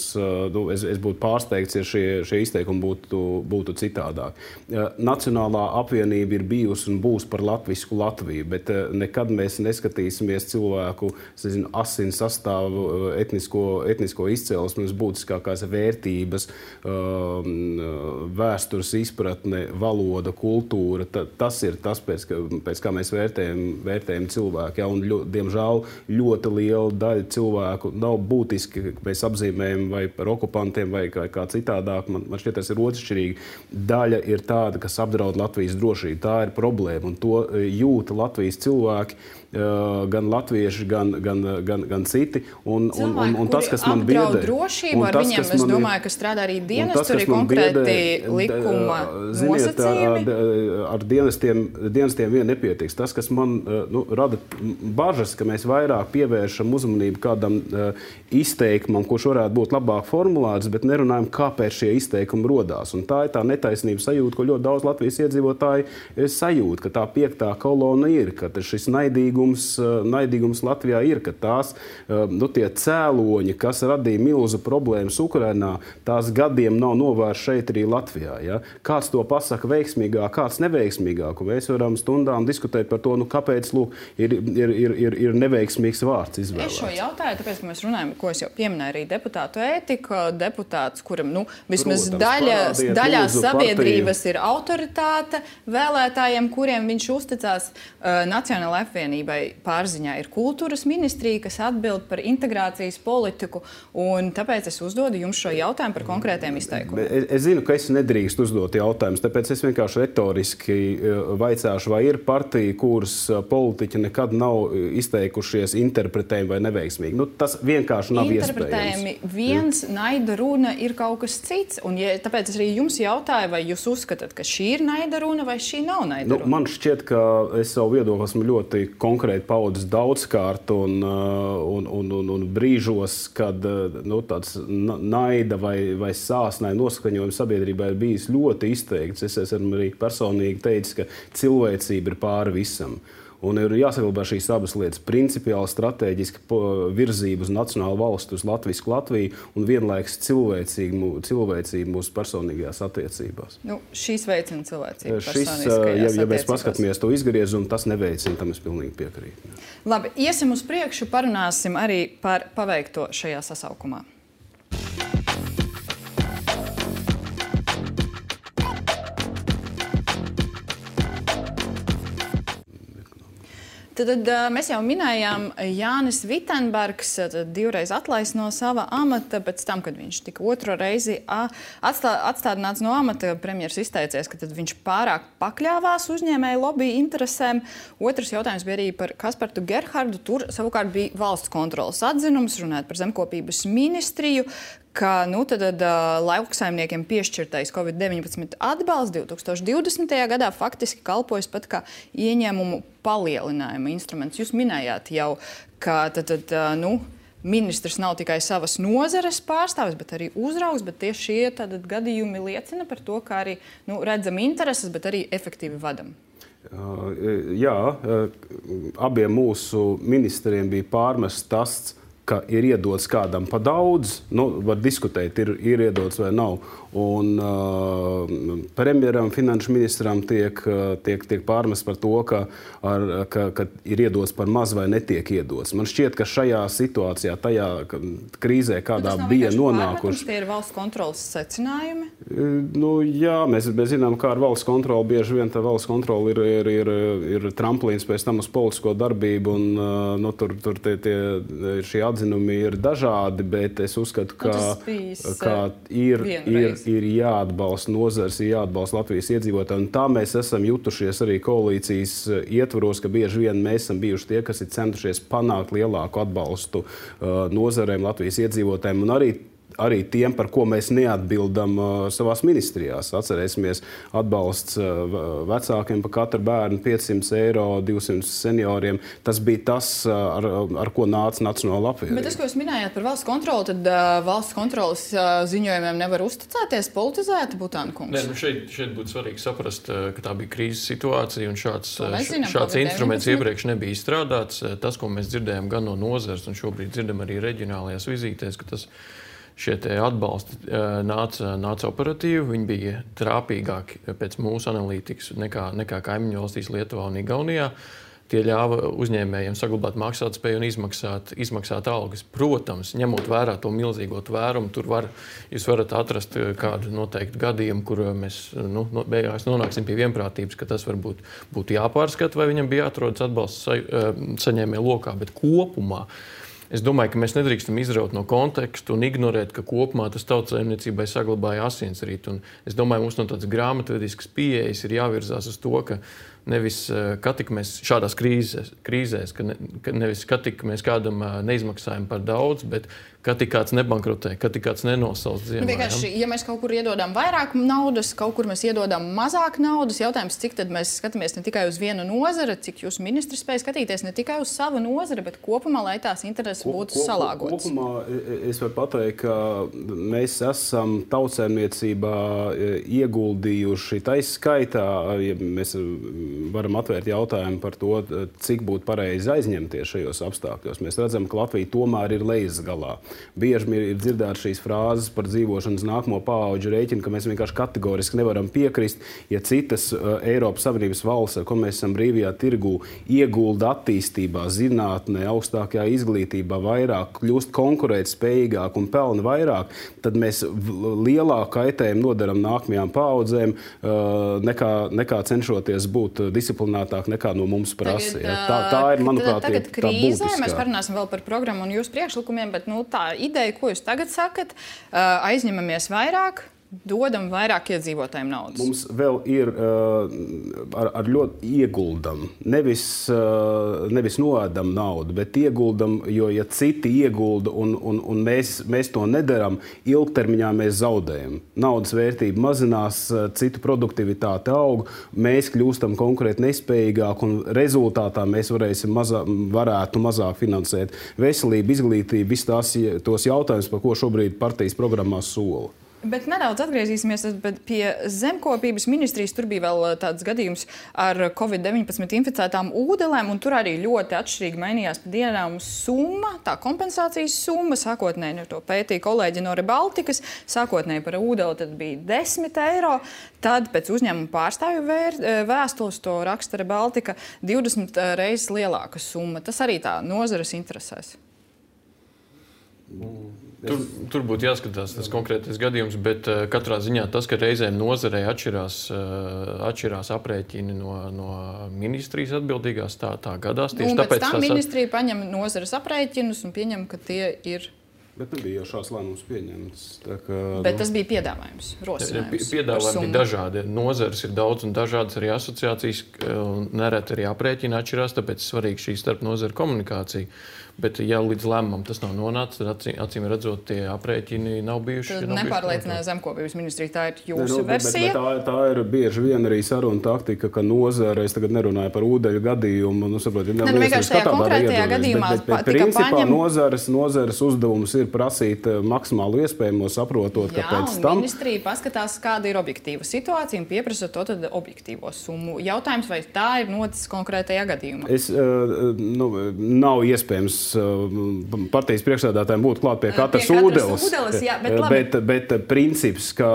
Speaker 3: nu, es, es būtu pārsteigts, ja šie, šie izteikumi būtu, būtu citādāk. Nacionālā apvienība ir bijusi un būs par latvisku Latviju, bet nekad mēs neskatīsimies cilvēku, es nezinu, asins sastāvu, etnisko, etnisko izcelsmes, būtiskākās vērtības, vēstures izpratne, valoda, kultūra. Tas ir tas, pēc, pēc kā mēs vērtējam, vērtējam cilvēku. Ja? Un, ļo, diemžēl, ļoti liela daļa cilvēku nav būtiski, ka mēs apzīmējam vai par okupantiem vai kā, kā citādāk. Man, man šķiet, tas ir otršķirīgi. Daļa ir tāda, kas apdraud Latvijas drošību. Tā ir problēma, un to jūta Latvijas cilvēki, gan latvieši, gan, gan, gan, gan citi. citi. Un, un, un, un tas, kas man biedē,
Speaker 1: drošību, ar tas, viņiem, es
Speaker 3: man,
Speaker 1: domāju, ka strādā arī dienas, tur ir konkrēti biedē, likuma
Speaker 3: ziniet,
Speaker 1: nosacījumi.
Speaker 3: Ar, ar dienestiem, dienestiem vien nepietiks. Tas, kas man nu, rada bažas, ka mēs vairāk pievēršam uzmanību kādam uh, izteikumam, kurš varētu būt labāk formulēts, bet nerunājam, kāpēc šie izteikumi rodās. Un tā ir tā netaisnības sajūta, ko ļoti daudz Latvijas iedzīvotāji sajūt, ka tā piektā kolona ir, ka šis naidīgums, naidīgums Latvijā ir, ka tās, nu, tie cēloņi, kas radīja milzu problēmas Ukrainā, tās gadiem nav novērst šeit arī Latvijā. Ja? Kāds to pasaka veiksmīgāk, kāds neveiksmīgāk, un mēs varam stundām diskutēt par to, nu, kāpēc, lūk, ir, ir, ir, ir, ir neveiksmīgs vārds izvēlēts.
Speaker 1: Es šo jautāju, tāpēc, ka mēs runājam, ko es jau pieminēju arī deputātu ētiku, deputāts, kuram, nu, vismaz
Speaker 3: Protams,
Speaker 1: daļa, daļā sabiedrības
Speaker 3: partiju.
Speaker 1: Ir autoritāte vēlētājiem, kuriem viņš uzticās. Uh, Nacionālajai apvienībai pārziņā ir kultūras ministrija, kas atbild par integrācijas politiku, un tāpēc es uzdodu jums šo jautājumu par konkrētiem izteikumiem.
Speaker 3: Es, es zinu, ka es nedrīkst uzdot jautājumus, tāpēc es vienkārši retoriski vaicāšu, vai ir partija, kuras politiķi nekad nav izteikušies interpretējumi vai neveiksmīgi. Nu, tas vienkārši nav
Speaker 1: interpretējumi
Speaker 3: iespējams.
Speaker 1: Viens, naida runa ir kaut kas cits, un ja, tāpēc es arī jums jautāju, vai jūs uzskatāt, ka šī ir naida runa vai šī nav naida runa?
Speaker 3: Nu, man šķiet, ka es savu viedokli esmu ļoti konkrēti paudzis daudzkārt un, un, un, un, un brīžos, kad nu, tāds naida vai, vai sāsnai noskaņojums sabiedrībā ir bijis ļoti izteikts. Es esmu arī personīgi teicis, ka cilvēcība ir pāri visam. Un ir jāsaglabā šīs abas lietas - principiāli strateģiski virzība uz nacionālu valstu, uz latvisku Latviju un vienlaikus cilvēcību, cilvēcību mūsu personīgajās attiecībās.
Speaker 1: Nu, šīs veicina cilvēcību
Speaker 3: Šis, ja, ja mēs paskatāmies to izgriezumu, tas neveicina, tam es pilnīgi piekrītu.
Speaker 1: Labi, iesim uz priekšu, parunāsim arī par paveikto šajā sasaukumā. Tad, tad mēs jau minējām, Jānis Vitenbergs divreiz atlaists no sava amata, pēc tam, kad viņš tika otro reizi atstā, atstādināts no amata, premjers izteicies, ka tad viņš pārāk pakļāvās uzņēmēju lobby interesēm. Otrs jautājums bija arī par Kaspartu Gerhardu. Tur savukārt bija valsts kontrolas atzinums, runājot par zemkopības ministriju, ka nu, tad, tad, lauksaimniekiem piešķirtais covid deviņpadsmit atbalsts divi tūkstoši divdesmitajā gadā faktiski kalpojas pat kā ieņēmumu palielinājuma instruments. Jūs minējāt jau, ka tad, tad, nu, ministrs nav tikai savas nozares pārstāvis, bet arī uzraugs, bet tieši šie tad, gadījumi liecina par to, ka arī nu, redzam intereses, bet arī efektīvi vadam.
Speaker 3: Jā, abiem mūsu ministriem bija pārmests tas, ka ir iedots kādam pa daudz, nu, var diskutēt, ir, ir iedots vai nav. Un uh, premjeram, finanšu ministram tiek, tiek, tiek pārmests par to, ka, ar, ka, ka ir iedots par maz vai netiek iedots. Man šķiet, ka šajā situācijā, tajā krīzē, kādā
Speaker 1: nu,
Speaker 3: bija nonākuši...
Speaker 1: Tie ir valsts kontrolas secinājumi?
Speaker 3: Nu, jā, mēs, mēs zinām, kā ar valsts kontroli. Bieži vien tā valsts kontrola ir, ir, ir, ir tramplīns pēc tam uz politisko darbību, un uh, nu, tur, tur tie, tie, šie atzinumi ir dažādi, bet es uzskatu, ka,
Speaker 1: nu,
Speaker 3: ka ir, ir, ir jāatbalsta nozars, ir jāatbalsta Latvijas iedzīvotāji. Un tā mēs esam jutušies arī koalīcijas ietvaros, ka bieži vien mēs esam bijuši tie, kas ir centušies panākt lielāku atbalstu uh, nozarēm, Latvijas iedzīvotājiem un arī arī tiem, par ko mēs neatbildam uh, savās ministrijās. Atcerēsimies atbalsts uh, vecākiem par katru bērnu piecsimt eiro, divsimt senioriem. Tas bija tas, uh, ar, ar ko nāca Nacionāla apvienība.
Speaker 1: Bet tas, ko jūs minējāt par valsts kontroli, tad uh, valsts kontrolas uh, ziņojumiem nevar uzticēties, politizēti, Butāna kungs?
Speaker 5: Nē, nu šeit, šeit būtu svarīgi saprast, ka tā bija krīzes situācija un šāds,
Speaker 1: zinām,
Speaker 5: šāds instruments iepriekš nebija izstrādāts. Tas, ko mēs dzirdējām gan no nozares un šobrīd dzirdam arī reģionālajās vizītēs, ka tas šie atbalsti nāca, nāca operatīvi, viņi bija trāpīgāki pēc mūsu analītikas nekā, nekā kaimiņu valstīs Lietuvā un Igaunijā. Tie ļāva uzņēmējiem saglabāt maksātspēju un izmaksāt, izmaksāt algas. Protams, ņemot vērā to milzīgo tvērumu, tur var, jūs varat atrast kādu noteiktu gadījumu, kur mēs nu, beigās nonāksim pie vienprātības, ka tas varbūt būtu jāpārskata, vai viņam bija jāatrodas atbalsts sa, saņēmēju lokā, bet kopumā es domāju, ka mēs nedrīkstam izraut no konteksta un ignorēt, ka kopumā tas tautsaimniecībai saglabāja asinsrītu. Un es domāju, mums no tādas grāmatvediskas pieejas ir jāvirzās uz to, ka nevis kā tik mēs šādās krīzēs, krīzēs ka, ne, ka nevis kā tik mēs kādam neizmaksājam par daudz, bet kā tik kāds nebankrotē, kā tik kāds nenosauc ziemā.
Speaker 1: Nu, vienkārši, ja mēs kaut kur iedodam vairāk naudas, kaut kur mēs iedodam mazāk naudas, jautājums, cik tad mēs skatāmies ne tikai uz vienu nozari, cik jūs ministri spēj skatīties ne tikai uz savu nozari, bet kopumā, lai tās intereses būtu ko, ko, salāgotas.
Speaker 3: Kopumā es varu pateikt, ka mēs esam tautsēmniecībā ieguldījuši taiskaitā, ja mēs varam atvērt jautājumu par to, cik būtu pareizi aizņemties šajos apstākļos. Mēs redzam, ka Latvija tomēr ir lejas galā. Bieži ir dzirdētas šīs frāzes par dzīvošanas nākamo paauģu rēķinu, ka mēs vienkārši kategoriski nevaram piekrist, ja citas uh, Eiropas Savienības valsts, ar ko mēs esam brīvajā tirgū, iegulda attīstībā, zinātnē, augstākajā izglītībā vairāk, kļūst konkurētspējīgāk un pelna vairāk, tad mēs lielāku kaitējumu nodaram nākamajām paaudzēm, uh, nekā, nekā cenšoties būt disciplinētāk nekā no mums prasa.
Speaker 1: Tagad,
Speaker 3: ja. tā, tā ir, manuprāt,
Speaker 1: tagad
Speaker 3: tā
Speaker 1: krīzē,
Speaker 3: būtiskā.
Speaker 1: Mēs parunāsim vēl par programmu un jūsu priekšlikumiem, bet nu, tā ideja, ko jūs tagad sakat, aizņemamies vairāk, dodam vairāk iedzīvotājiem naudas.
Speaker 3: Mums vēl ir uh, ar, ar ļoti ieguldam. Nevis, uh, nevis noēdam naudu, bet ieguldam, jo ja citi iegulda un, un, un mēs, mēs to nedaram, ilgtermiņā mēs zaudējam. Naudas vērtība mazinās, citu produktivitāte aug, mēs kļūstam konkurēt nespējīgāk un rezultātā mēs varēsim mazā, varētu mazāk finansēt veselību, izglītību, visus tās, tos jautājumus, par ko šobrīd partijas programmā sola.
Speaker 1: Bet nedaudz atgriezīsimies pie zemkopības ministrijas. Tur bija vēl tāds gadījums ar covid deviņpadsmit inficētām ūdelēm, un tur arī ļoti atšķirīgi mainījās pa dienām summa, tā kompensācijas summa. Sākotnēji to pētīja kolēģi no Rebaltikas. Sākotnēji par ūdeli tad bija desmit eiro. Tad pēc uzņēmuma pārstāvju vēr, vēstules, to raksta Rebaltika, divdesmit reizes lielāka summa. Tas arī tā nozares interesēs.
Speaker 5: Tur, tur būtu jāskatās tas konkrētais gadījums, bet uh, katrā ziņā tas, ka reizēm nozarei atšķirās, uh, atšķirās aprēķini no, no ministrijas atbildīgās, tā, tā gadās. Tieši
Speaker 1: un
Speaker 5: tāpēc
Speaker 1: pēc tam
Speaker 5: tās...
Speaker 1: ministrija paņem nozares aprēķinus un pieņem, ka tie ir...
Speaker 3: Bet nebija jau šāds lēmums pieņemts. Tā kā,
Speaker 1: Bet
Speaker 3: nu...
Speaker 1: tas bija piedāvājums, rosinājums.
Speaker 5: Piedāvājumi bija dažādi. Nozares ir daudz un dažādas arī asociācijas, un nereti arī aprēķini atšķirās, tāpēc svarīgi šī starp nozaru komunikācija. Bet, ja līdz lēmumam tas nav nonācis, tad acīm, acīm redzot, tie aprēķini nav bijuši.
Speaker 1: Tad nepārliecināja zemkopības ministrija, tā ir jūsu ne, nu,
Speaker 3: Bet,
Speaker 1: versija.
Speaker 3: bet, bet tā, tā ir bieži vien arī saruna taktika, ka nozare, es tagad nerunāju par ūdeļu gadījumu, nu, saprot,
Speaker 1: ne, nu, vienkārši tajā konkrētajā gadījumā
Speaker 3: bet, bet, bet, principā paņem... nozares, nozares uzdevums ir prasīt maksimālu iespējamo, saprotot,
Speaker 1: Jā,
Speaker 3: ka pēc
Speaker 1: un
Speaker 3: tam...
Speaker 1: ministrija paskatās, kāda ir objektīva situācija un pieprasa to tad objektīvo summu. Jautājums, vai tā ir noticis konkrētajā gadījumā?
Speaker 3: Es, nu, nav iespējams partijas priekšsēdētājiem būtu klāt pie katras ūdeles.
Speaker 1: ūdeles jā, bet,
Speaker 3: bet, bet princips, ka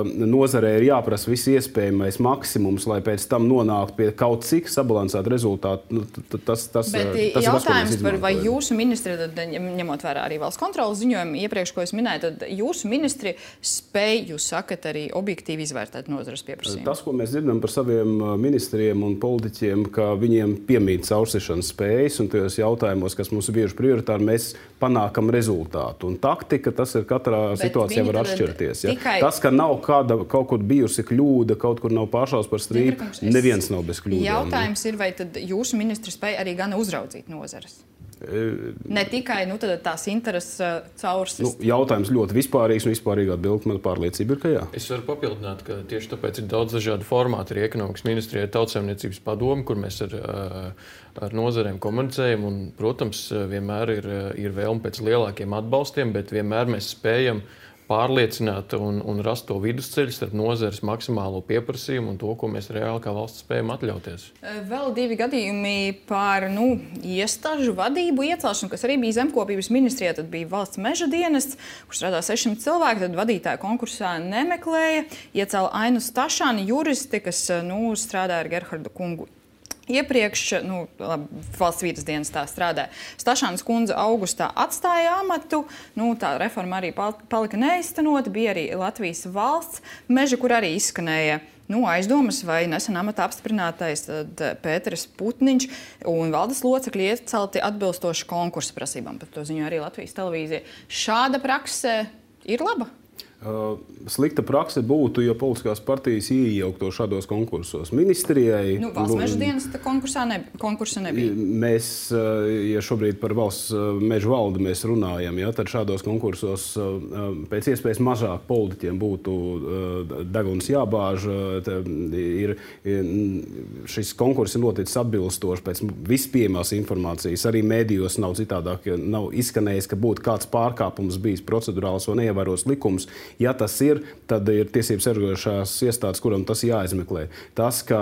Speaker 3: nozarē ir jāprasa viss iespējamais maksimums, lai pēc tam nonāktu pie kaut cik sabalansēta rezultāta, nu, tas, tas,
Speaker 1: bet
Speaker 3: tas
Speaker 1: jautājums
Speaker 3: ir tas,
Speaker 1: par vai jūsu ministri, tad, ņemot vērā arī valsts kontrolas ziņojumu iepriekš, ko es minēju, tad jūsu ministri spēj, jūs sakat, arī objektīvi izvērtēt nozares pieprasījumu.
Speaker 3: Tas, ko mēs dzirdam par saviem ministriem un politiķiem, ka viņiem piemīt caursišanas spējas un tajos jautājumos, kas mums ir bieži prioritāri, mēs panākam rezultātu. Un taktika, tas ir katrā Bet situācijā var atšķirties. Ja? Tikai... Tas, ka nav kāda, kaut kur bijusi kļūda, kaut kur nav pāršaus par strīdu, es... neviens nav bez kļūdām.
Speaker 1: Jautājums ir, vai tad jūsu ministri spēj arī gan uzraudzīt nozares? Ne tikai nu, tās intereses uh, caursist.
Speaker 3: Nu, jautājums ļoti vispārīgs un vispārīga atbilde. Man pārliecība ir, ka jā.
Speaker 5: Es varu papildināt, ka tieši tāpēc ir daudz dažādu formātu. Arī ekonomikas ministrijai ir tautsēmniecības padome, kur mēs ar, ar nozarēm komunicējam. Un, protams, vienmēr ir, ir vēlme pēc lielākiem atbalstiem, bet vienmēr mēs spējam pārliecināt un, un rast to vidusceļu starp nozares maksimālo pieprasījumu un to, ko mēs reāli kā valsts spējam atļauties.
Speaker 1: Vēl divi gadījumi par nu, iestāžu vadību iecelšanu, kas arī bija zemkopības ministrijā. Tad bija valsts meža dienests, kur strādā sešsimt cilvēki, tad vadītāja konkursā nemeklēja. Iecēla Ainu Stašāni, juristi, kas nu, strādā ar Gerhardu kungu. Iepriekš, nu, valsts vīdes dienestā strādāja. Stašānas kundze augustā atstāja amatu, nu, tā reforma arī palika neiztenota, bija arī Latvijas valsts meža, kur arī izskanēja nu, aizdomas, vai nesen amatā apstiprinātais Pēteris Putniņš un valdes locekļi iecelti atbilstoši konkursa prasībām. Par to ziņo arī Latvijas televīzija. Šāda prakse ir laba?
Speaker 3: Uh, slikta prakse būtu, ja politiskās partijas iejaukto šādos konkursos. Ministrijai...
Speaker 1: Nu, valsts meža dienesta konkursā ne, konkursa nebija.
Speaker 3: Mēs, ja šobrīd par valsts meža valdi mēs runājam, ja, tad šādos konkursos pēc iespējas mazāk politiķiem būtu deguns jābāž. Ir, šis konkurss ir noticis atbilstoši pēc vispieejamās informācijas. Arī mēdījos nav citādāk, nav izskanējis, ka būtu kāds pārkāpums bijis procedurāls vai neievēros likums. Ja tas ir, tad ir tiesības sargājošās iestādes, kuram tas jāizmeklē. Tas, ka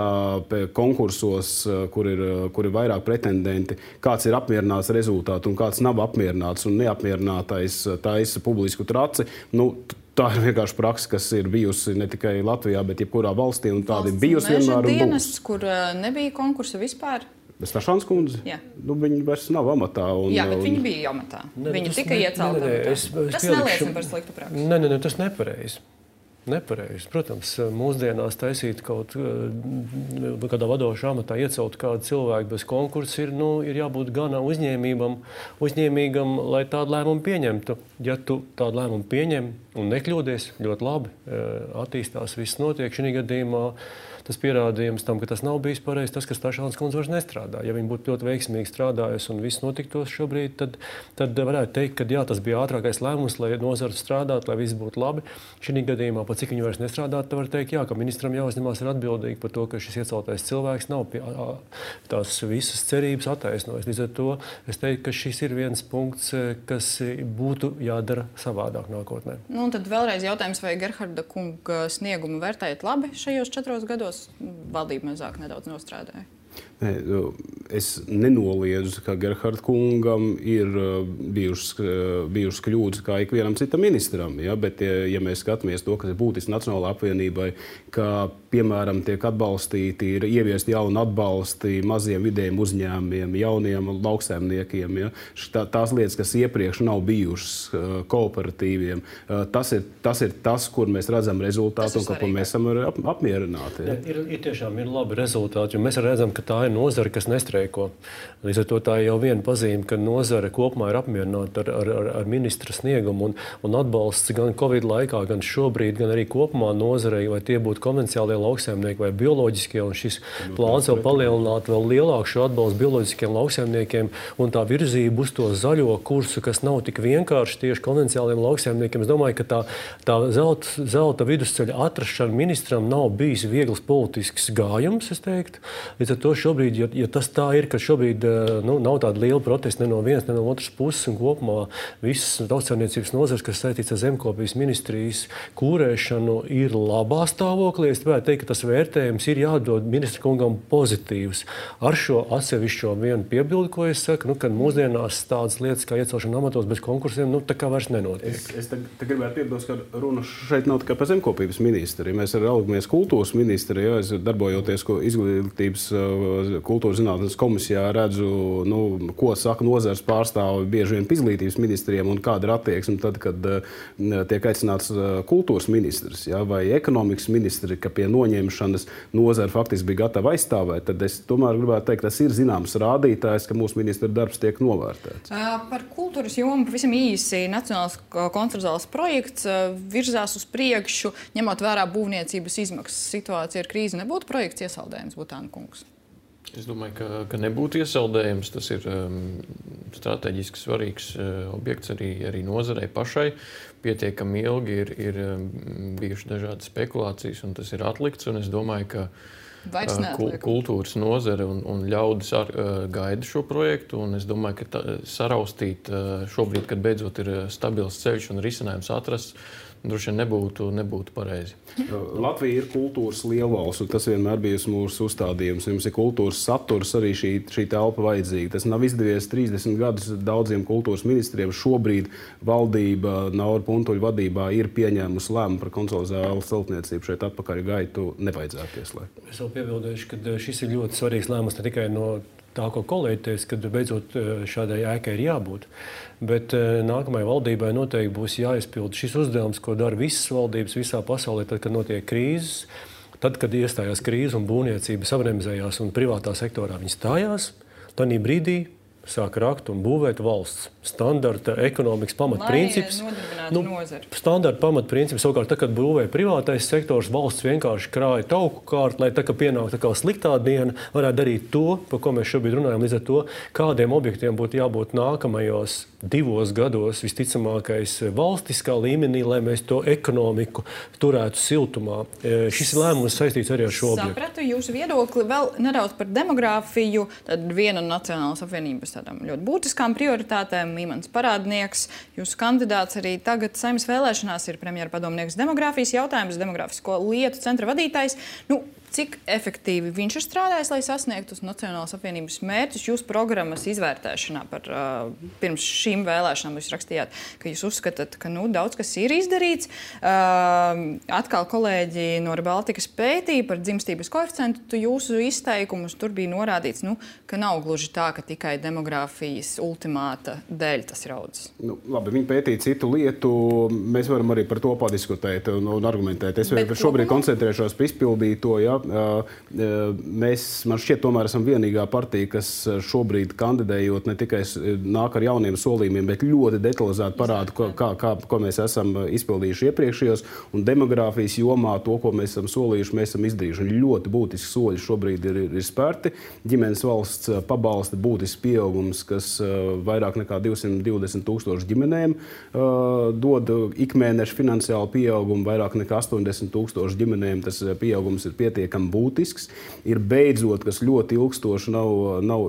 Speaker 3: konkursos, kur ir, kur ir vairāk pretendenti, kāds ir apmierināts rezultāts un kāds nav apmierināts un neapmierinātais taisa publisku traci, nu, tā ir vienkārši praksa, kas ir bijusi ne tikai Latvijā, bet jebkurā valstī, un tāda ir bijusi vienmēr un būs.
Speaker 1: Dienests, kur nebija konkursa vispār?
Speaker 3: Stašāns kundze?
Speaker 1: Jā.
Speaker 3: Nu, viņi vairs nav amatā. Un,
Speaker 1: Jā, bet
Speaker 3: un...
Speaker 1: viņi bija amatā.
Speaker 4: Ne,
Speaker 1: viņi
Speaker 4: tas
Speaker 1: tika
Speaker 4: ne,
Speaker 1: iecelti.
Speaker 4: Ne, ne, es, es
Speaker 1: tas
Speaker 4: pielikšu...
Speaker 1: neliecina par sliktu praksi.
Speaker 4: Nē, nē, tas nepareizi. Nepareizi. Protams, mūsdienās taisīt kaut kādā vadošā amatā iecelt kādu cilvēku bez konkursa ir, nu, ir jābūt gan uzņēmībam, uzņēmīgam, lai tādu lēmumu pieņemtu. Ja tu tādu lēmumu pieņem un nekļūdies, ļoti labi attīstās, viss notiek šī gadījumā. Tas pierādījums tam, ka tas nav bijis pareizi, tas, ka Stašāns kundze vairs nestrādā. Ja viņa būtu ļoti veiksmīgi strādājusi un viss notiktos šobrīd, tad, tad varētu teikt, ka jā, tas bija ātrākais lēmums, lai nozara strādātu, lai viss būtu labi. Šī gadījumā, pat cik viņa vairs nestrādāt, tad var teikt, jā, ka ministram jāuzņemās ir atbildīgi par to, ka šis ieceltais cilvēks nav pie, tās visas cerības attaisnojis. Līdz ar to es teiktu, ka šis ir viens punkts, kas būtu jādara savādāk nākotnē.
Speaker 1: Nu, un tad vēlreiz jautājums, vai Gerharda kunga sniegumu vērtējat labi šajos četros gados? Valdība mazāk nedaudz nostrādāja.
Speaker 3: Nē, es nenoliedzu, ka Gerharda kungam ir bijušas, bijušas kļūdas kā ikvienam citam ministram. Ja? Bet, ja, ja mēs skatāmies to, kas ir būtiski Nacionālajai apvienībai, ka, piemēram, tiek atbalstīti, ir ieviesti jauni atbalsti maziem vidējiem uzņēmumiem, jauniem lauksaimniekiem. Ja? Tā, tās lietas, kas iepriekš nav bijušas kooperatīviem, tas ir tas, ir tas kur mēs redzam rezultātu un ko mēs esam ap, apmierināti. Ja?
Speaker 4: Ir, ir tiešām ir labi rezultāti, jo mēs redzam, ka tā ir nozara, kas nestreiko. Līdz ar to tā ir jau viena pazīme, ka nozara kopumā ir apmierināta ar, ar, ar ministra sniegumu un, un atbalsts gan Covid laikā, gan šobrīd, gan arī kopumā nozarei, vai tie būtu konvencionālie lauksaimnieki vai bioloģiskie, un šis plāns vēl palielināt vēl lielāku šo atbalstu bioloģiskiem lauksaimniekiem un tā virzība uz to zaļo kursu, kas nav tik vienkārši tieši konvencionāliem lauksaimniekiem. Es domāju, ka tā, tā zelta, zelta vidusceļa atrašana ministram nav bijis viegls politisks gājums, es teiktu. Līdz ar to šobrīd, ja, ja tas tā ir, ka šobrīd nu, nav tāda liela protesta ne no vienas, ne no otras puses, un kopumā visas lauksaimniecības nozares, kas saistīts ar zemkopības ministrijas kūrēšanu, ir labā stāvoklī. Es gribētu teikt, ka tas vērtējums ir jādod ministra kungam pozitīvs. Ar šo atsevišķo vienu piebildi, ko es saku, nu, kad mūsdienās tādas lietas kā iecelšana amatos bez konkursiem, nu, tā kā vairs nenotiek.
Speaker 3: Es, es te, te gribētu piebilst, ka runa šeit nav tikai par zemkopības ministri. Mēs arī raugamies kultūras ministri, ja, es darbojoties izglītības kultūras zinātnes komisijā redzu, nu, ko saka nozares pārstāvi bieži vien izglītības ministriem un kāda ir attieksme tad, kad uh, tiek aicināts uh, kultūras ministrs, ja, vai ekonomikas ministri, ka pie noņemšanas nozara faktiski bija gatava aizstāvēt, tad es tomēr gribētu teikt, tas ir zināms rādītājs, ka mūsu ministra darbs tiek novērtēts.
Speaker 1: Par kultūras jomu pavisam īsi Nacionālais kontrabāzes projekts virzās uz priekšu, ņemot vērā būvniecības izmaksas situāciju ar krīzi. Nebūtu projekts iesaldējums, Butāna kungs?
Speaker 5: Es domāju, ka, ka nebūtu iesaldējums. Tas ir um, strateģiski svarīgs uh, objekts arī, arī nozarei pašai. Pietiekami ilgi ir, ir um, bijušas dažādas spekulācijas, un tas ir atlikts. Un es domāju, ka uh, kultūras nozare un, un ļaudis ar, uh, gaida šo projektu. Un es domāju, ka tā, saraustīt uh, šobrīd, kad beidzot ir stabils ceļš un risinājums atrasts, droši vien nebūtu, nebūtu pareizi.
Speaker 3: Latvija ir kultūras lielvalsts, un tas vienmēr bijis mūsu uzstādījums. Mums ir kultūras saturs, arī šī, šī telpa vajadzīga. Tas nav izdevies trīsdesmit gadus daudziem kultūras ministriem. Šobrīd valdība Naura Puntuļa vadībā ir pieņēmusi lēmumu par konsolidālu celtniecību. Šeit atpakaļ gaitu nevajadzētu ieslēgt.
Speaker 4: Es vēl piebildīšu, ka šis ir ļoti svarīgs lēmums ne tikai no tā, ko kolēģi teica, kad beidzot šādai ēkai ir jābūt. Bet nākamajai valdībai noteikti būs jāizpild šis uzdevums, ko dara visas valdības visā pasaulē, tad, kad notiek krīzes. Tad, kad iestājās krīze un būvniecība sabremzējās un privātā sektorā viņi stājās, tad brīdī sāk rakt un būvēt valsts. standarta ekonomikas pamatprincips.
Speaker 1: Nu,
Speaker 4: standarta pamatprincips savukārt, tā, kad būvē privātais sektors, valsts vienkārši krāja tauku kārtu, lai tā, ka pienāk tā kā sliktā diena, varētu darīt to, par ko mēs šobrīd runājam, līdz ar to, kādiem objektiem būtu jābūt nākamajos divos gados visticamākais valstiskā līmenī, lai mēs to ekonomiku turētu siltumā. Šis lēmums saistīts arī ar šo objektu.
Speaker 1: Sapratu jūsu viedokli. Vēl nedaudz par demogrāfiju. Tad viena no Nacionālās apvienības tādām ļoti būtiskām prioritātēm. Imants Parādnieks, jūsu kandidāts arī tagad Saeimas vēlēšanās ir premjera padomnieks demogrāfijas jautājums, demografisko lietu centra vadītājs. Nu, cik efektīvi viņš ir strādājis, lai sasniegtu uz Nacionālās apvienības mērķus? Jūsu programmas izvērtēšanā par uh, pirms šīm vēlēšanām jūs rakstījāt, ka jūs uzskatāt, ka nu, daudz kas ir izdarīts. Uh, atkal kolēģi no Baltikas pētīja par dzimstības koeficientu jūsu izteikumus. Tur bija norādīts, nu, ka nav gluži tā, ka tikai demogrāfijas ultimāta dēļ tas raudzes.
Speaker 3: Nu, labi, viņi pētīja citu lietu. Mēs varam arī par to padiskutēt un, un argumentēt. Es Bet šobrīd kopumā... koncentrēšos par izpildīto. Ja? Mēs, man šķiet, tomēr esam vienīgā partija, kas šobrīd kandidējot ne tikai nāk ar jauniem solījumiem, bet ļoti detalizēti parāda, ko, kā, kā, ko mēs esam izpildījuši iepriekšējos. Un demogrāfijas jomā to, ko mēs esam solījuši, mēs esam izdarījuši. Un ļoti būtiski soļi šobrīd ir, ir spērti. Ģimenes valsts pabalsta būtisks pieaugums, kas vairāk nekā divsimt divdesmit tūkstoši ģimenēm dod ikmēneša finansiālu pieaugumu, vairāk nekā astoņdesmit tūkstoši ģimenēm. Tas pieaugums ir pietiekami būtisks. Ir beidzot, kas ļoti ilgstoši nav, nav,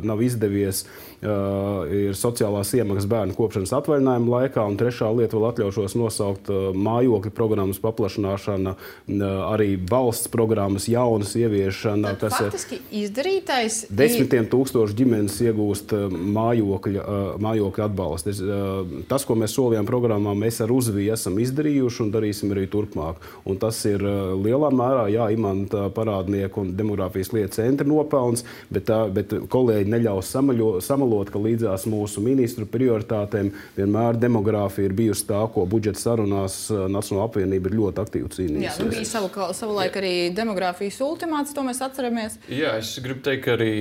Speaker 3: nav izdevies, uh, ir sociālās iemaksas bērnu kopšanas atvaļinājuma laikā. Un trešā lieta vēl atļaušos nosaukt uh, mājokļu programmas paplašināšana, uh, arī valsts programmas jaunas ieviešana.
Speaker 1: Tad kas faktiski izdarītais...
Speaker 3: Desmitiem tūkstoši ģimenes iegūst uh, mājokļa, uh, mājokļa atbalstu. Uh, tas, ko mēs solījām programmā, mēs ar uzviju esam izdarījuši un darīsim arī turpmāk. Un tas ir uh, lielā mērā, jā, Imanta Parādnieku un demogrāfijas lietu centra nopelns, bet, tā, bet kolēģi neļaus samaļo, samalot, ka līdzās mūsu ministru prioritātēm vienmēr demogrāfija ir bijusi tā, ko budžeta sarunās Nacionālā apvienība ir ļoti aktīvi cīnījusies.
Speaker 1: Jā, nu bija savu, savulaik arī demogrāfijas ultimāts, to mēs atceramies.
Speaker 5: Jā, es gribu teikt, ka arī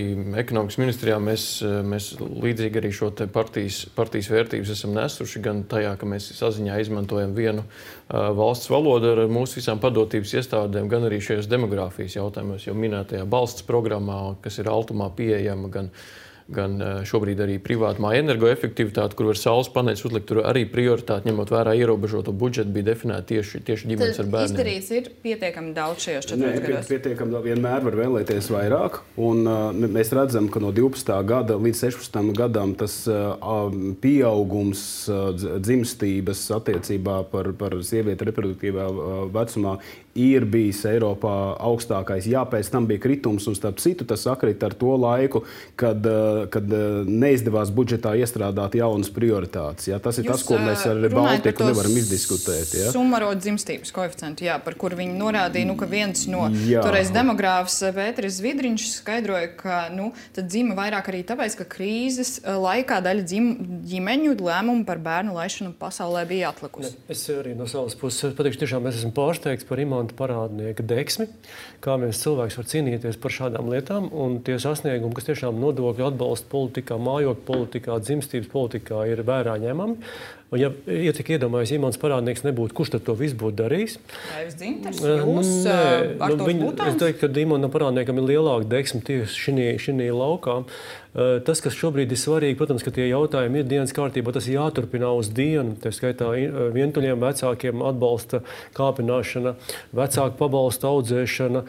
Speaker 5: ekonomikas ministrijā mēs, mēs līdzīgi arī šo te partijas, partijas vērtības esam nesuši, gan tajā, ka mēs saziņā izmantojam vienu uh, valsts valodu ar mūsu visām padotības iestādēm, gan arī šajos demogrāfijas jautājumos, jau minētajā balsts programmā, kas ir Altumā pieejama, gan, gan šobrīd arī privātmāju energoefektivitāte, kur var saules paneļus uzlikt, tur arī prioritāti, ņemot vērā ierobežoto budžetu, bija definēta tieši, tieši ģimenes ar bērniem.
Speaker 1: Izdarīts ir pietiekami daudz šajos četros gados.
Speaker 3: Pietiekami vienmēr var vēlēties vairāk, un uh, mēs redzam, ka no divpadsmitā gada līdz sešpadsmitam gadam tas uh, pieaugums uh, dzimstības attiecībā par, par sievieti reproduktīvā uh, vecumā ir bijis Eiropā augstākais. Jā, pēc tam bija kritums, un starp citu tas sakrit ar to laiku, kad, kad neizdevās budžetā iestrādāt jaunas prioritātes. Jā, tas ir
Speaker 1: Jūs,
Speaker 3: tas, ko mēs ar Baltiku nevaram izdiskutēt. Jā.
Speaker 1: Sumarot dzimstības koeficientu, jā, par kur viņi norādīja, nu, ka viens no jā. toreiz demogrāfs Pēteris Zvidriņš skaidroja, ka nu, tad dzima vairāk arī tāpēc, ka krīzes laikā daļa dzim, ģimeņu lēmumu par bērnu laišanu pasaulē bija atlikusi.
Speaker 4: Es arī no savas puses pateikšu, tiešām mēs esam pārsteigts par Imanta Parādnieka deksmi, kā viens cilvēks var cīnīties par šādām lietām, un tie sasniegumi, kas tiešām nodokļu atbalsta politikā, mājokļu politikā, dzimstības politikā ir vērā ņemami. Un, ja ietika iedomājies, Imants Parādnieks nebūtu, kurš tad to visu būtu darījis?
Speaker 1: Raivs Dzintars, jūs
Speaker 4: Nē,
Speaker 1: ar
Speaker 4: nu,
Speaker 1: tos
Speaker 4: viņu,
Speaker 1: būtāns?
Speaker 4: Es teiktu, ka Imantam Parādniekam ir lielāka deksme tieši šinī laukā. Tas, kas šobrīd ir svarīgi, protams, ka tie jautājumi ir dienas kārtībā, tas ir jāturpina uz dienu. Tā skaitā vientuļiem vecākiem atbalsta kāpināšana, vecāku pabalsta audzēšana.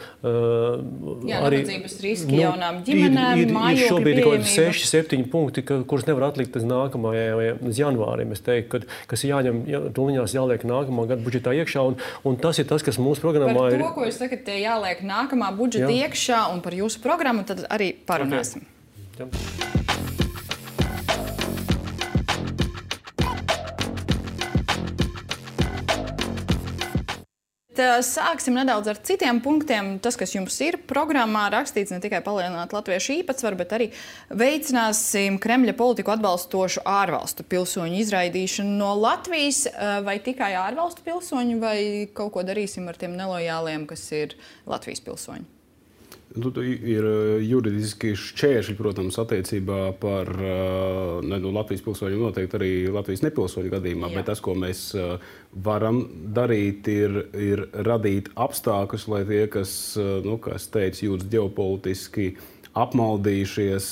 Speaker 1: Jā, nabadzības riski nu, jaunām ģimenēm,
Speaker 4: ir, ir,
Speaker 1: mājokļu
Speaker 4: ir šobrīd kaut kādi
Speaker 1: pieejamība.
Speaker 4: seši septiņi punkti, ka, kurus nevar atlikt līdz nākamajam, līdz janvārim, es teiktu, kad, kas ir jāņem, jā, tuliņās jāliek nākamā gada budžetā iekšā, un, un tas ir tas, kas mūsu programmā ir.
Speaker 1: Par to, ko jūs sakat, tie jāliek nākamā budžeta jā. iekšā, un par jūsu programmu tad arī parunāsim. Okay. Jā. Sāksim nedaudz ar citiem punktiem. Tas, kas jums ir programmā rakstīts, ne tikai palielināt latviešu īpatsvaru, bet arī veicināsim Kremļa politiku atbalstošu ārvalstu pilsoņu izraidīšanu no Latvijas. Vai tikai ārvalstu pilsoņu, vai kaut ko darīsim ar tiem nelojāliem, kas ir Latvijas pilsoņi?
Speaker 3: Ir juridiski šķēršļi, protams, attiecībā par ne, nu, Latvijas pilsoņiem, noteikti arī Latvijas nepilsoņu gadījumā, Jā. Bet tas, ko mēs varam darīt, ir, ir radīt apstākļus, lai tie, kas, nu, kā es teicu, jūtas ģeopolitiski apmaldījušies,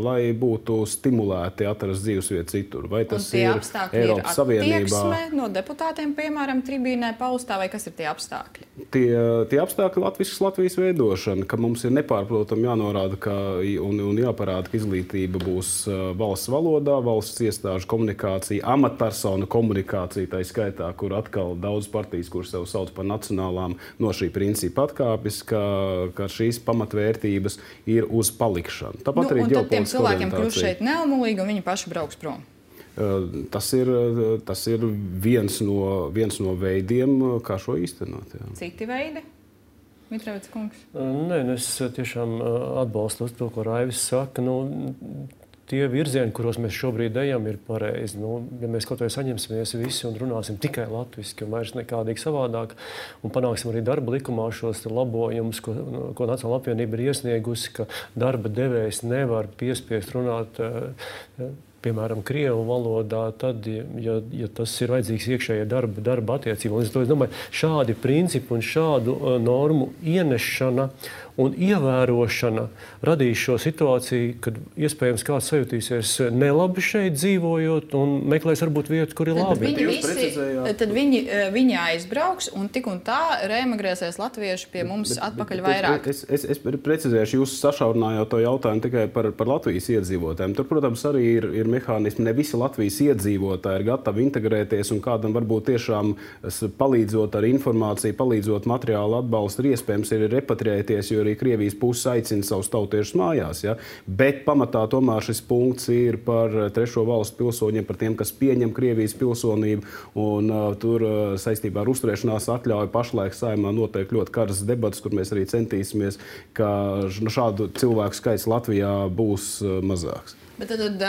Speaker 3: lai būtu stimulēti atrast dzīvesvietu citur. Vai tas ir Eiropas Savienībā?
Speaker 1: No deputātiem, piemēram, tribīnē paustā, vai kas ir tie apstākļi?
Speaker 3: Tie, tie apstākļi Latvijas, Latvijas veidošana, ka mums ir nepārprotami jānorāda ka, un, un jāparāda, ka izglītība būs valsts valodā, valsts iestāžu komunikācija, amatpersonu komunikācija, tā skaitā, kur atkal daudz partijas, kuras sev sauc par nacionālām, no šī principa atkāpjas, ka, ka šīs pamatvērtības ir uz palikšanu. Tāpat
Speaker 1: nu,
Speaker 3: arī
Speaker 1: un tad tiem cilvēkiem kļūst šeit neumulīgi un viņi paši brauks prom.
Speaker 3: Tas ir, tas ir viens, no, viens no veidiem, kā šo īstenot. Jā.
Speaker 1: Citi veidi? Mitrevits kungs?
Speaker 4: Nē, es tiešām atbalstu to, ko Raivis saka. Nu, tie virzieni, kuros mēs šobrīd ejam, ir pareizi. Nu, ja mēs kaut vai saņemsimies visi un runāsim tikai latviski un vairs nekādīgi savādāk un panāksim arī darba likumā šos labojumus, ko, ko Nacionālā apvienība ir iesniegusi, ka darba devējs nevar piespiest runāt piemēram, krievu valodā, tad, ja, ja tas ir vajadzīgs iekšējai darba, darba attiecība. Es domāju, šādi principi un šādu uh, normu ienešana un ievērošana radīs šo situāciju, kad iespējams kāds sajutīsies nelabi šeit dzīvojot un meklēs varbūt vietu, kur ir
Speaker 1: tad
Speaker 4: labi.
Speaker 1: Viņi visi, tad viņi, viņi aizbrauks un tik un tā reemigrēsies latvieši pie mums bet, atpakaļ bet, vairāk.
Speaker 3: Es, es, es precizēšu, jūs sašaurinājāt to jautājumu tikai par, par Latvijas iedzīvotājiem. Tur, protams, arī ir, ir mehānismi. Ne visi Latvijas iedzīvotāji ir gatavi integrēties un kādam varbūt tiešām palīdzot ar informāciju, palīdzot materiālu atbalstu, ir iespējams ir repatriēties, jo arī Krievijas puses aicina savus tautiešus mājās. Ja? Bet pamatā tomēr šis punkts ir par trešo valstu pilsoņiem, par tiem, kas pieņem Krievijas pilsonību. Un, uh, tur uh, saistībā ar uzturēšanās atļauju pašlaik Saeimā notiek ļoti karas debatas, kur mēs arī centīsimies, ka šādu cilvēku skaits Latvijā būs uh, mazāks.
Speaker 1: Bet tad,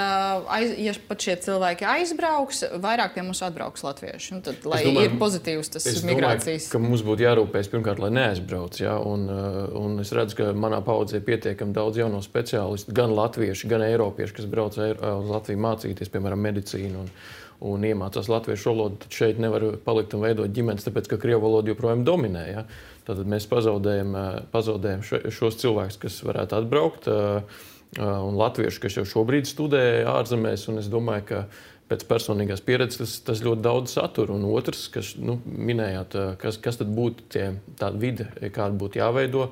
Speaker 1: aiz, ja pat šie cilvēki aizbrauks, vairāk pie mums atbrauks latvieši. Un tad, lai domāju, ir pozitīvs tas
Speaker 5: es
Speaker 1: migrācijas.
Speaker 5: Es domāju, ka mums būtu jārūpēs pirmkārt, lai neaizbrauc. Ja? Un, un es redzu, ka manā paudzē pietiekami daudz jauno speciālistu, gan latvieši, gan eiropieši, kas brauc uz Latviju mācīties, piemēram, medicīnu un, un iemācās latviešu valodu. Tad šeit nevar palikt un veidot ģimenes, tāpēc, ka krievu valoda joprojām dominē. Ja? Tad mēs pazaudējam, pazaudējam šos cilvēkus, kas varētu atbraukt. Un latvieši, kas jau šobrīd studē ārzemēs, un es domāju, ka pēc personīgās pieredzes tas, tas ļoti daudz satura. Un otrs, kas nu, minējāt, kas, kas tad būtu tie, tāda vide, kāda būtu jāveido,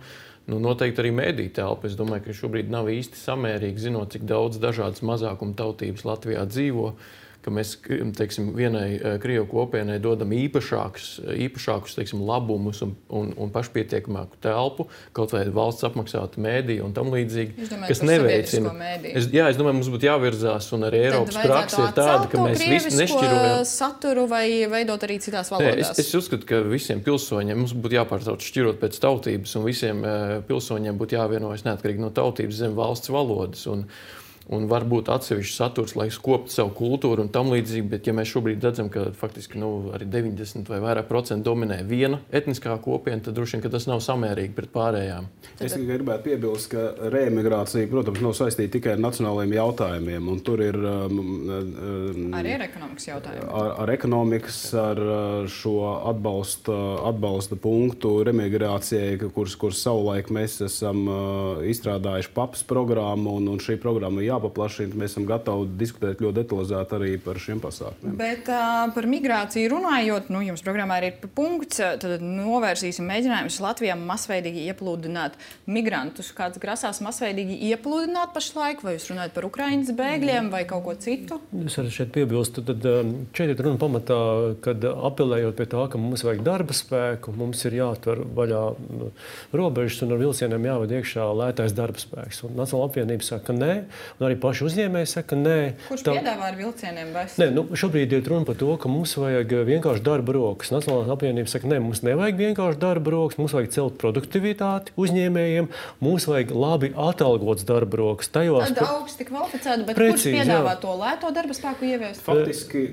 Speaker 5: nu, noteikti arī mediju telpa. Es domāju, ka šobrīd nav īsti samērīgi, zinot, cik daudz dažādas mazākuma tautības Latvijā dzīvo, ka mēs teiksim, vienai krievu kopienai dodam īpašākus, īpašākus teiksim, labumus un, un, un pašpietiekamāku telpu, kaut vai valsts apmaksātu mēdīju un tam līdzīgi, kas neveicina. Es, jā, es domāju, mums būtu jāvirzās, un arī Eiropas praksa ir tāda, ka mēs visi nešķirojam
Speaker 1: saturu vai veidot arī citās valodās.
Speaker 5: Es, es uzskatu, ka visiem pilsoņiem mums būtu jāpārsauc šķirot pēc tautības, un visiem pilsoņiem būtu jāvienojas neatkarīgi no tautības zem valsts valodas. Un, Un varbūt atsevišķs saturs, lai skoptu savu kultūru un tam līdzīgi, bet ja mēs šobrīd redzam, ka faktiski nu, arī deviņdesmit vai vairāk procentu dominē viena etniskā kopiena, tad droši vien, ka tas nav samērīgi pret pārējām.
Speaker 3: Es tikai gribētu piebilst, ka reemigrācija, protams, nav saistīta tikai ar nacionālajiem jautājumiem, un tur ir um, um,
Speaker 1: arī ar ekonomikas jautājumiem.
Speaker 3: Ar, ar ekonomikas, ar šo atbalsta, atbalsta punktu reemigrācijai, kuras, kuras savulaik mēs esam uh, izstrādājuši papas programmu, un, un šī programma jā paplašina, mēs esam gatavi diskutēt ļoti detalizēti arī par šiem pasākumiem.
Speaker 1: Bet uh, par migrāciju runājot, nu, jums programmā ir punkts, tad novērsīsim mēģinājumus Latvijā masveidīgi ieplūdināt migrantus. Kāds grasās masveidīgi ieplūdināt pašlaik, vai jūs runājat par Ukrainas bēgļiem vai kaut ko citu?
Speaker 4: Es arī šeit piebilstu, tad šeit ir runa pamatā, kad apelējot pie tā, ka mums vajag darba spēku, mums ir jāatver vaļā robežas un ar vilcieniem jāved iekšā lētais darba spēks. Un Nacionālā apvienība saka, ka nē, un arī paši uzņēmēji saka, nē.
Speaker 1: Kurš tā... piedāvā ar vilcieniem bez?
Speaker 4: Nē, nu, šobrīd ir runa par to, ka mums vajag vienkārši darba rokas. Nacionālās apvienības saka, nē, mums nevajag vienkārši darba rokas, mums vajag celt produktivitāti uzņēmējiem, mums vajag labi atalgots darba rokas. Tajos...
Speaker 1: Tad augsti kvalificēti, bet
Speaker 4: Precīzi,
Speaker 1: kurš piedāvā
Speaker 4: jā.
Speaker 1: to lēto darba spēku ieviest?
Speaker 3: Faktiski,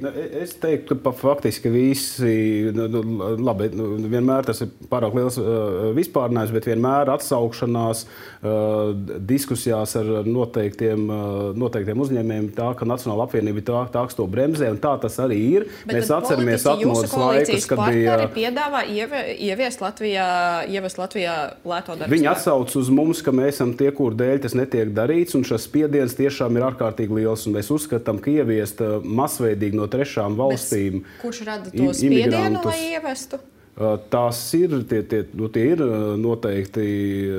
Speaker 3: es teiktu, ka faktiski visi, nu, labi, nu, vienmēr tas ir pārāk liels uh, vispārnājums, bet vienmēr atsaukšanās uh, diskusijās ar noteiktiem, uh, noteiktiem uzņēmējiem tā, ka Nacionāla apvienība tā, tā to bremzē, un tā tas arī ir.
Speaker 1: Bet
Speaker 3: mēs atceramies atmodas laikus, kad bija...
Speaker 1: piedāvā ieviest Latvijā, ieviest Latvijā lēto darbu
Speaker 3: Viņi
Speaker 1: spēku.
Speaker 3: atsauc uz mums, ka mēs esam tie, kur dēļ tas netiek darīts, un šis spiediens tiešām ir ārkārtīgi liels, un mēs uzskatām, ka ieviest masveidīgi no trešām valstīm...
Speaker 1: Bez, kurš rada to spiedienu, lai ievestu?
Speaker 3: Tās ir, tie, tie, nu, tie ir noteikti,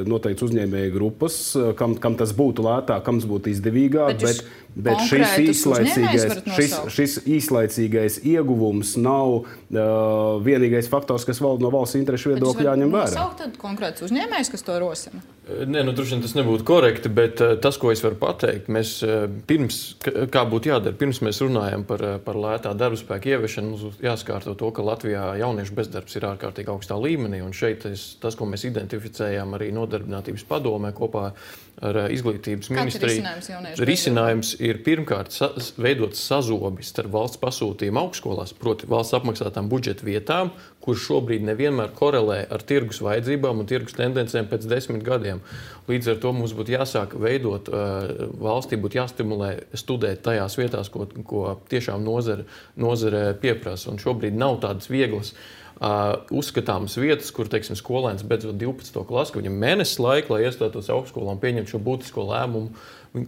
Speaker 3: noteikti uzņēmēju grupas, kam, kam tas būtu lētāk, kam tas būtu izdevīgāk, bet, bet, bet šis, īslaicīgais, šis, šis īslaicīgais ieguvums nav uh, vienīgais faktors, kas valda no valsts interešu viedokļa jāņem vērā.
Speaker 1: Nosaukt tad konkrēts uzņēmējs, kas to rosina?
Speaker 5: Nē, nu, droši vien tas nebūtu korekti, bet uh, tas, ko es varu pateikt, mēs uh, pirms, kā būtu jādara, pirms mēs runājam par, par lētā darba spēka ieviešanu, mums jāskārto to, ka Latvijā jauniešu bezdarbs ir ārkārtīgi augstā līmenī, un šeit es, tas, ko mēs identificējām arī Nodarbinātības padomē kopā ar Izglītības ministriju,
Speaker 1: risinājums,
Speaker 5: risinājums ir pirmkārt sa veidot sazobi starp valsts pasūtījumu augstskolās, proti valsts apmaksātām budžeta vietām, kur šobrīd nevienmēr korelē ar tirgus vajadzībām un tirgus tendencēm pēc desmit gadiem. Līdz ar to mums būtu jāsāk veidot, valstī būtu jāstimulē studēt tajās vietās, ko, ko tiešām nozare, nozare pieprasa. Un šobrīd nav tādas vieglas Uh, uzskatāmas vietas, kur, teiksim, skolēns beidzot divpadsmito klasi, ka viņam mēnesis laika, lai iestātos augstskolā un pieņemtu šo būtisko lēmumu,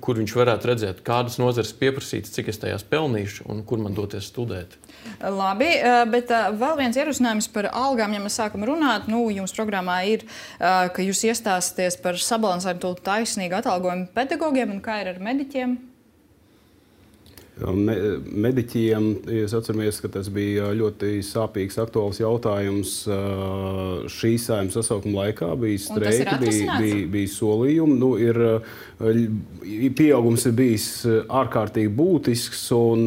Speaker 5: kur viņš varētu redzēt, kādas nozares pieprasītas, cik es tajās pelnīšu un kur man doties studēt.
Speaker 1: Labi, bet vēl viens ierosinājums par algām, ja mēs sākam runāt, nu, jums programmā ir, ka jūs iestāsties par sabalansētu taisnīgu atalgojumu pedagogiem, un kā ir ar mediķiem?
Speaker 3: Mediķiem, es atceramies, ka tas bija ļoti sāpīgs, aktuāls jautājums šīs Saeimas sasaukuma laikā. Bija streiki, bija, bija, bija solījumi. Nu, ir, pieaugums ir bijis ārkārtīgi būtisks. Un,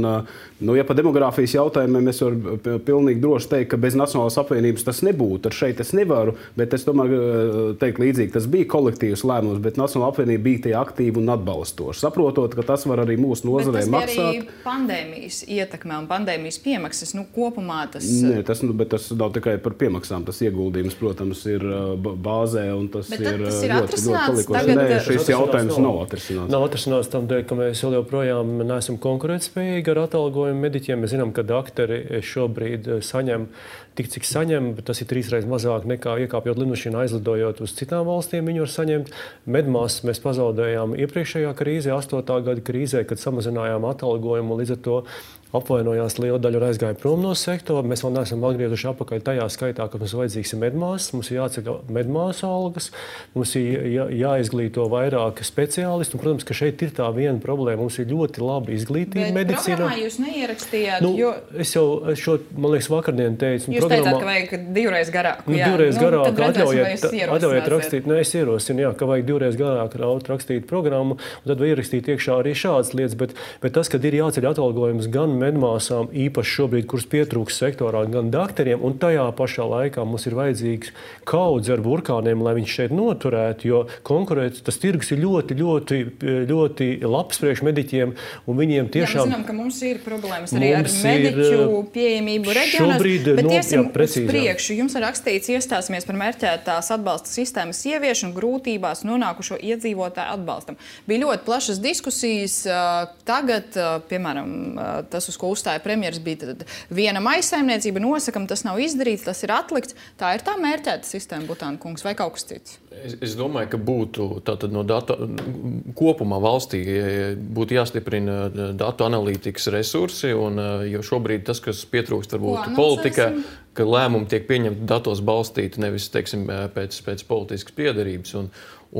Speaker 3: nu, ja par demogrāfijas jautājumiem es varu pilnīgi droši teikt, ka bez Nacionālās apvienības tas nebūtu. Ar šeit es nevaru, bet es tomēr teiktu līdzīgi, tas bija kolektīvs lēmums, bet Nacionālā apvienība bija tie aktīvi un atbalstoši. Saprotot, ka tas var arī mūsu nozarē maksāt.
Speaker 1: Pandēmijas ietekmē un pandēmijas piemaksas, nu, kopumā tas...
Speaker 3: Nē, tas, nu, bet tas nav tikai par piemaksām. Tas ieguldījums, protams, ir bāzē, un tas
Speaker 1: bet
Speaker 3: ir,
Speaker 1: tas ir
Speaker 3: ļoti, ļoti palikuši.
Speaker 1: Tagad...
Speaker 3: Nē, šis jautājums nav atrisināts.
Speaker 4: Nav atrisināts tam dēļ, ka mēs vēl joprojām neesam konkurētspējīgi ar atalgojumu mediķiem. Mēs zinām, ka dakteri šobrīd saņem tik, cik saņem, bet tas ir trīsreiz mazāk nekā iekāpjot lidmašīnā, aizlidojot uz citām valstīm. Viņi var saņemt. Medmāsas mēs pazaudējām iepriekšējā krīzē, astotā gada krīzē, kad samazinājām atalgojumu. Līdz ar to apvainojās liela daļa un aizgāja prom no sektora. Mēs vēl neesam atgriezuši atpakaļ tajā skaitā, ka mums vajadzīgs ir medmāsas, mums ir jāceļ medmāsu algas, mums ir jā, jāizglīto vairāk speciālistu. Un, protams, ka šeit ir tā viena problēma. Mums ir ļoti labi izglītība medicīnā.
Speaker 1: Bet programmā jūs neierakstījāt,
Speaker 4: nu,
Speaker 1: jo...
Speaker 4: Es jau šo, man liekas, vakardien teicu.
Speaker 1: Jūs
Speaker 4: programmā...
Speaker 1: teicāt, ka vajag divreiz garāk.
Speaker 4: Nu,
Speaker 1: jā.
Speaker 4: divreiz
Speaker 1: nu,
Speaker 4: garāk,
Speaker 1: atļaujiet,
Speaker 4: atļaujiet rakstīt. Nē, es ierosinu, jā, ka vajag divreiz garāk rakstīt programmu, un tad var ierakstīt iekšā arī šādas lietas. Bet, bet tas, kad ir jāceļ atalgojums gan medmāsām, īpaši šobrīd, kuras pietrūks sektorā, gan dakteriem, un tajā pašā laikā mums ir vajadzīgs kaudze ar burkāniem, lai viņš šeit noturētu, jo konkurēt, tas tirgus ir ļoti, ļoti, ļoti labs priekš mediķiem, un viņiem tiešām...
Speaker 1: Jā, mēs zinām, ka mums ir problēmas arī ar mediķu
Speaker 4: ir,
Speaker 1: pieejamību reģionās,
Speaker 4: šobrīd,
Speaker 1: bet
Speaker 4: no,
Speaker 1: iesim
Speaker 4: jā, precīzi,
Speaker 1: uz priekšu. Jums ir rakstīts iestāsimies par mērķētās atbalsta sistēmas ieviešanu grūtībās nonākušo iedzīvotāju atbalstam. Bija ļoti plašas diskusijas. Tagad, piemēram, tas, uz ko uzstāja premjeras, bija tad viena maisaimniecība, nosakam, tas nav izdarīts, tas ir atlikts. Tā ir tā mērķēta sistēma, Butāna kungs, vai kaut kas cits?
Speaker 5: Es, es domāju, ka būtu tātad no datu kopumā valstī būtu jāstiprina datu analītikas resursi, un, jo šobrīd tas, kas pietrūkst varbūt politikā, ka lēmumi tiek pieņemti datos balstīti, nevis, teiksim, pēc, pēc politiskas piederības. Un,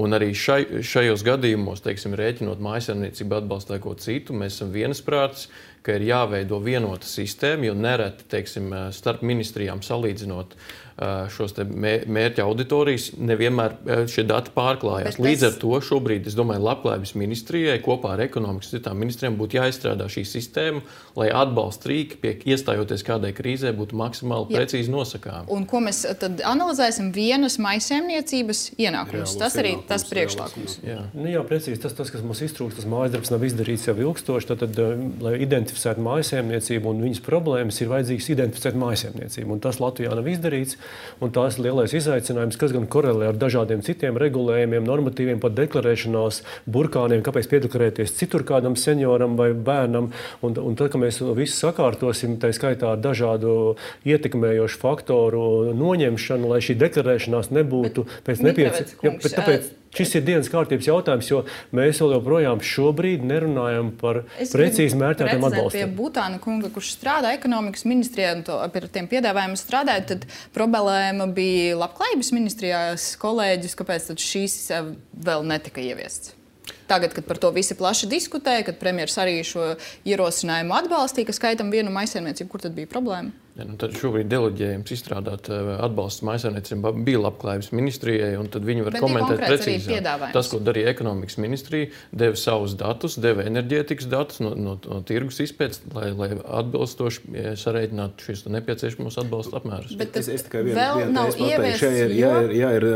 Speaker 5: un arī šai, šajos gadījumos, teiksim, rēķinot mājasemniecību atbalstu vai ko citu, mēs esam vienasprātis, ka ir jāveido vienota sistēma, jo nereti, teiksim, starp ministrijām salīdzinot šos te mērķa auditorijas, nevienmēr šie dati pārklājās. Bet Līdz ar to šobrīd, es domāju, Labklājības ministrijai kopā ar ekonomikas citām ministrijām būtu jāizstrādā šī sistēma, lai atbalsta rīki, pie iestājoties kādai krīzē, būtu maksimāli precīzi nosakāmi.
Speaker 1: Un ko mēs tad analizēsim? Vienas maisaimniecības ienākums. Tas arī tas priekšlikums.
Speaker 4: Jā, nu, jā precīzi. Tas, tas, kas mums iztrūkst, tas mājasdarbs nav izdarīts jau ilgstoši. Tad, tad, lai identificētu maisaimniecību un viņas problēmas, ir vajadzīgs identificēt maisaimniecību. Un tas Latvijā nav izdarīts. Un tās ir lielais izaicinājums, kas gan korelē ar dažādiem citiem regulējumiem, normatīviem, pat deklarēšanās, burkāniem, kāpēc piedeklarēties citur kādam senioram vai bērnam. Un, un tad, kad mēs visu sakārtosim, tā skaitā ar dažādu ietekmējošu faktoru noņemšanu, lai šī deklarēšanās nebūtu
Speaker 1: bet,
Speaker 4: pēc nepieciešamības. Šis ir dienas kārtības jautājums, jo mēs vēl joprojām šobrīd nerunājam par precīzi mērķētiem atbalstiem.
Speaker 1: Pie Butāna kunga, kurš strādā ekonomikas ministrijā un to, pie tiem piedāvājumiem strādāja, tad problēma bija Labklājības ministrijās kolēģis, kāpēc tad šīs vēl netika ieviests. Tagad, kad par to visi plaši diskutēja, kad premjeras arī šo ierosinājumu atbalstīja, ka skaitam vienu maisaimniecību, kur tad bija problēma?
Speaker 5: Ja, nu tad šobrīd deleģējums izstrādāt atbalstu maisaimniecībām bija Labklājības ministrijai, un tad viņi var Bet komentēt precīzāk. Tas, ko darīja ekonomikas ministrija, deva savus datus, deva enerģētikas datus no, no, no tirgus izpētes, lai, lai atbilstoši sareiķinātu šīs nepieciešamos atbalsta apmērus.
Speaker 1: Bet
Speaker 3: es, es tikai vienu vien, ievies, ja ir, ja, ir, ja ir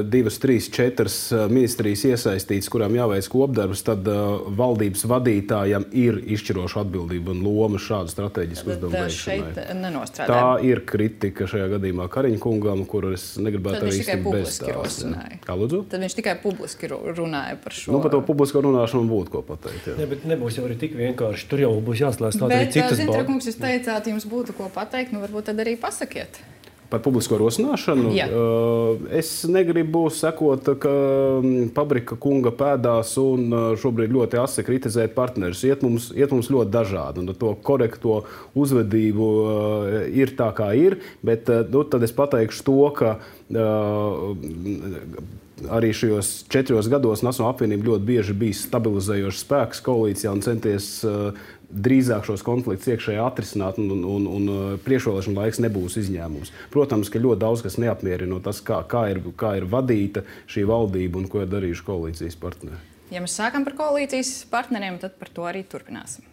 Speaker 3: divas, trīs, četras ministrijas iesaistītas, kurām jāveic kopdarbs, tad uh, valdības vadītājam ir izšķiroša atbildība un loma šādu strateģisku uzdevumu veikšanai. Tā ir kritika šajā gadījumā Kariņa kungam, kur es negribētu arī īsti bezstāstīt. Kā lūdzu?
Speaker 1: Tad viņš tikai publiski runāja par šo.
Speaker 3: Nu, par to publisko runāšanu būtu ko pateikt. Jā.
Speaker 4: Ne, bet nebūs jau arī tik vienkārši. Tur jau būs jāslēdz tāda arī citas balvas.
Speaker 1: Bet, Zintra kungs, jūs teicāt, jums būtu ko pateikt, nu varbūt tad arī pasakiet.
Speaker 3: Par publisko rosināšanu.
Speaker 1: Jā.
Speaker 3: Es negribu sekot ka Pabrika kunga pēdās un šobrīd ļoti asi kritizēt partnerus. Iet mums, iet mums ļoti dažādi, un to korekto uzvedību ir tā, kā ir, bet nu, tad es pateikšu to, ka arī šajos četros gados Nacionālā apvienība ļoti bieži bija stabilizējošs spēks koalīcijā un centies drīzāk šos konfliktus iekšēji atrisināt, un, un, un priekšvēlēšana laiks nebūs izņēmums. Protams, ka ļoti daudz kas neapmierina tas, kā, kā, ir, kā ir vadīta šī valdība un ko ir darījuši koalīcijas partneri.
Speaker 1: Ja mēs sākam par koalīcijas partneriem, tad par to arī turpināsim.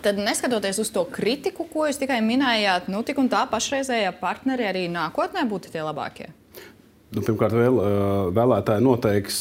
Speaker 1: Tad, neskatoties uz to kritiku, ko jūs tikai minējāt, nu tik un tā pašreizējā partneri arī nākotnē būtu tie labākie?
Speaker 3: Nu, pirmkārt, vēl, vēlētāji noteiks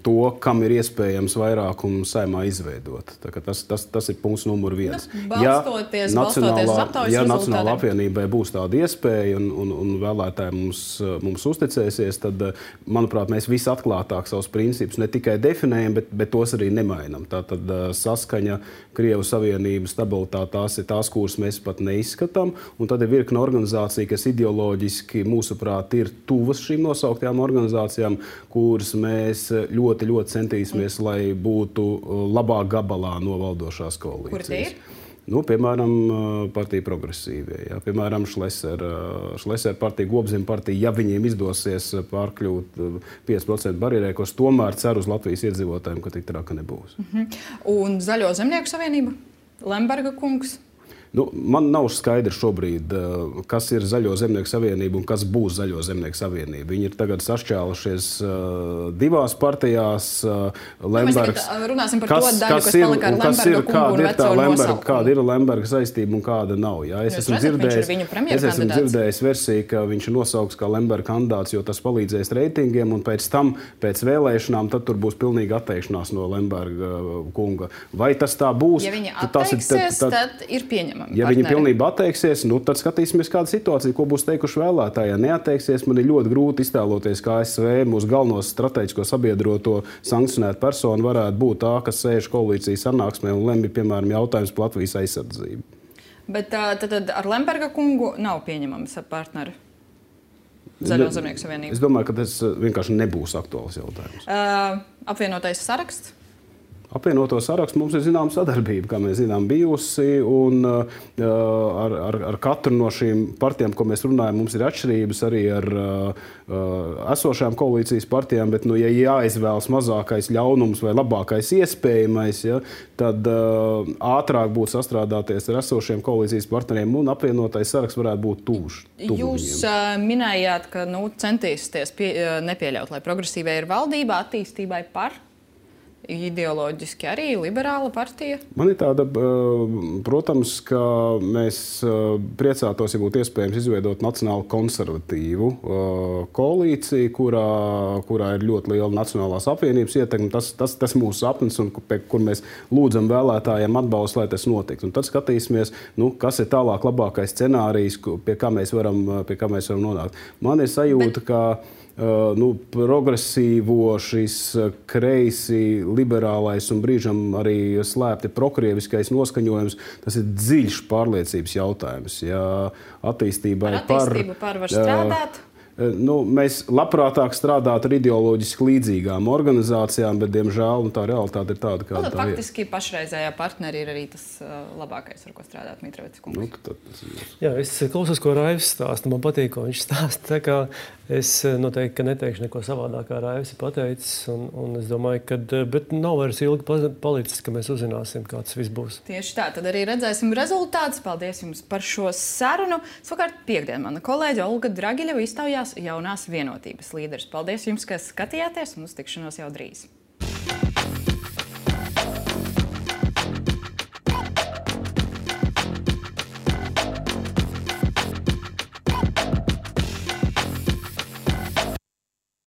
Speaker 3: to, kam ir iespējams vairākumu Saeimā izveidot. Tas, tas, tas ir punkts numur viens.
Speaker 1: Nu, balstoties,
Speaker 3: ja
Speaker 1: balstoties uz aptaujas
Speaker 3: ja
Speaker 1: rezultātiem.
Speaker 3: Nacionālā apvienībai būs tāda iespēja un, un, un vēlētāji mums, mums uzticēsies, tad, manuprāt, mēs visi atklātāk savus principus ne tikai definējam, bet, bet tos arī nemainam. Tātad saskaņa, Krievu Savienība, stabilitāte, tās ir tās, kuras mēs pat neizskatām. Un tad ir virkne organizācija, kas ideoloģiski, mūsuprāt, ir tuvas šīm nosauktajām organizācijām, kuras mēs ļoti, ļoti centīsimies, lai būtu labā gabalā no valdošās koalīcijas.
Speaker 1: Kur tie ir?
Speaker 3: Nu, piemēram, partija progresīvie, jā. Piemēram, Šlesera partija, Gobzema partija, ja viņiem izdosies pārkļūt pieci procenti barjerē, ko es tomēr ceru uz Latvijas iedzīvotājiem, ka tik traka nebūs.
Speaker 1: Uh-huh. Un Zaļo zemnieku savienība? Lemberga kungs?
Speaker 3: Nu, man nav skaidrs šobrīd, kas ir Zaļo zemnieku savienība un kas būs Zaļo zemnieku savienība. Viņi ir tagad sašķēlušies uh, divās partijās. Uh, Lembergs,
Speaker 1: nu, runāsim par kas, to daļu, kas, kas palika ar Lemberga kungu un veco nosaukumu.
Speaker 3: Kāda ir Lemberga saistība un kāda nav. Jā, es, esmu dzirdējis, es esmu dzirdējis versiju, ka viņš ir nosaukts kā Lemberga kandidāts, jo tas palīdzēs reitingiem, un pēc tam, pēc vēlēšanām, tad tur būs pilnīga atteikšanās no Lemberga kunga. Vai tas tā būs?
Speaker 1: Ja viņi atteiksies, tad, tad, tad ir pieņemami.
Speaker 3: Ja viņi pilnībā atteiksies, nu, tad skatīsimies, kāda situācija, ko būs teikuši vēlētāji. Ja neatteiksies, man ir ļoti grūti iztēloties, kā A S V mūsu galvenos strateģisko sabiedroto sankcionētu personu varētu būt tā, kas sēž koalīcijas sanāksmē un lemj, piemēram, jautājums par Latvijas aizsardzību.
Speaker 1: Bet tad, tad ar Lemberga kungu nav pieņemams partneri Zaļo zemnieku savienību?
Speaker 3: Es domāju, ka tas vienkārši nebūs aktuāls jautājums.
Speaker 1: Uh, apvienotais saraksts?
Speaker 3: Apvienoto sarakstu mums ir zināma sadarbība, kā mēs zinām, bijusi. Un, uh, ar, ar, ar katru no šīm partijām, ko mēs runājam, mums ir atšķirības arī ar uh, esošajām koalīcijas partijām. Bet, nu, ja jāizvēlas mazākais ļaunums vai labākais iespējamais, ja, tad uh, ātrāk būtu sastrādāties ar esošiem koalīcijas partneriem, un apvienotais saraksts varētu būt tūš.
Speaker 1: Jūs uh, minējāt, ka nu, centīsieties pie, uh, nepieļaut, lai progresīvai ir valdība attīstībai par. Ideoloģiski arī liberāla partija?
Speaker 3: Man ir tāda, protams, ka mēs priecātos, ja būtu iespējams izveidot nacionālu konservatīvu koalīciju, kurā, kurā ir ļoti liela nacionālās apvienības ietekme. Tas, tas, tas mūsu sapnis, un kur mēs lūdzam vēlētājiem atbalstu, lai tas notiktu. Un tad skatīsimies, nu, kas ir tālāk labākais scenārijs, pie kā mēs varam, pie kā mēs varam nonākt. Man ir sajūta, Bet... ka Uh, nu, progresīvo, šis kreisi, liberālais un brīžam arī slēpti prokrieviskais noskaņojums, tas ir dziļš pārliecības jautājums. Ja attīstībai
Speaker 1: par attīstību par var strādāt?
Speaker 3: Nu, mēs labprātāk strādātu ar ideoloģiski līdzīgām organizācijām, bet, diemžēl, nu, tā realitāte ir tāda, kāda
Speaker 1: nu,
Speaker 3: tā ir.
Speaker 1: Faktiski pašreizējā partneri ir arī tas uh, labākais, ar ko strādāt Mitrovics kungs.
Speaker 3: Nu, tad, tas ir...
Speaker 4: Jā, es klausos, ko Raivs stāsta. Man patīk, ko viņš stāsta. Tā kā es noteikti ka neteikšu neko savādāk, kā Raivs ir pateicis. Un, un es domāju, ka bet nav vairs ilgi palicis, ka mēs uzzināsim, kā tas viss būs.
Speaker 1: Tieši tā, tad arī redzēsim rezultātus. Paldies jums par šo sarunu. Savukārt piekdien mana kolēģe Olga Dragiļeva iztaujās jaunās vienotības līderis. Paldies jums, ka skatījāties, un uz tikšanos jau drīz.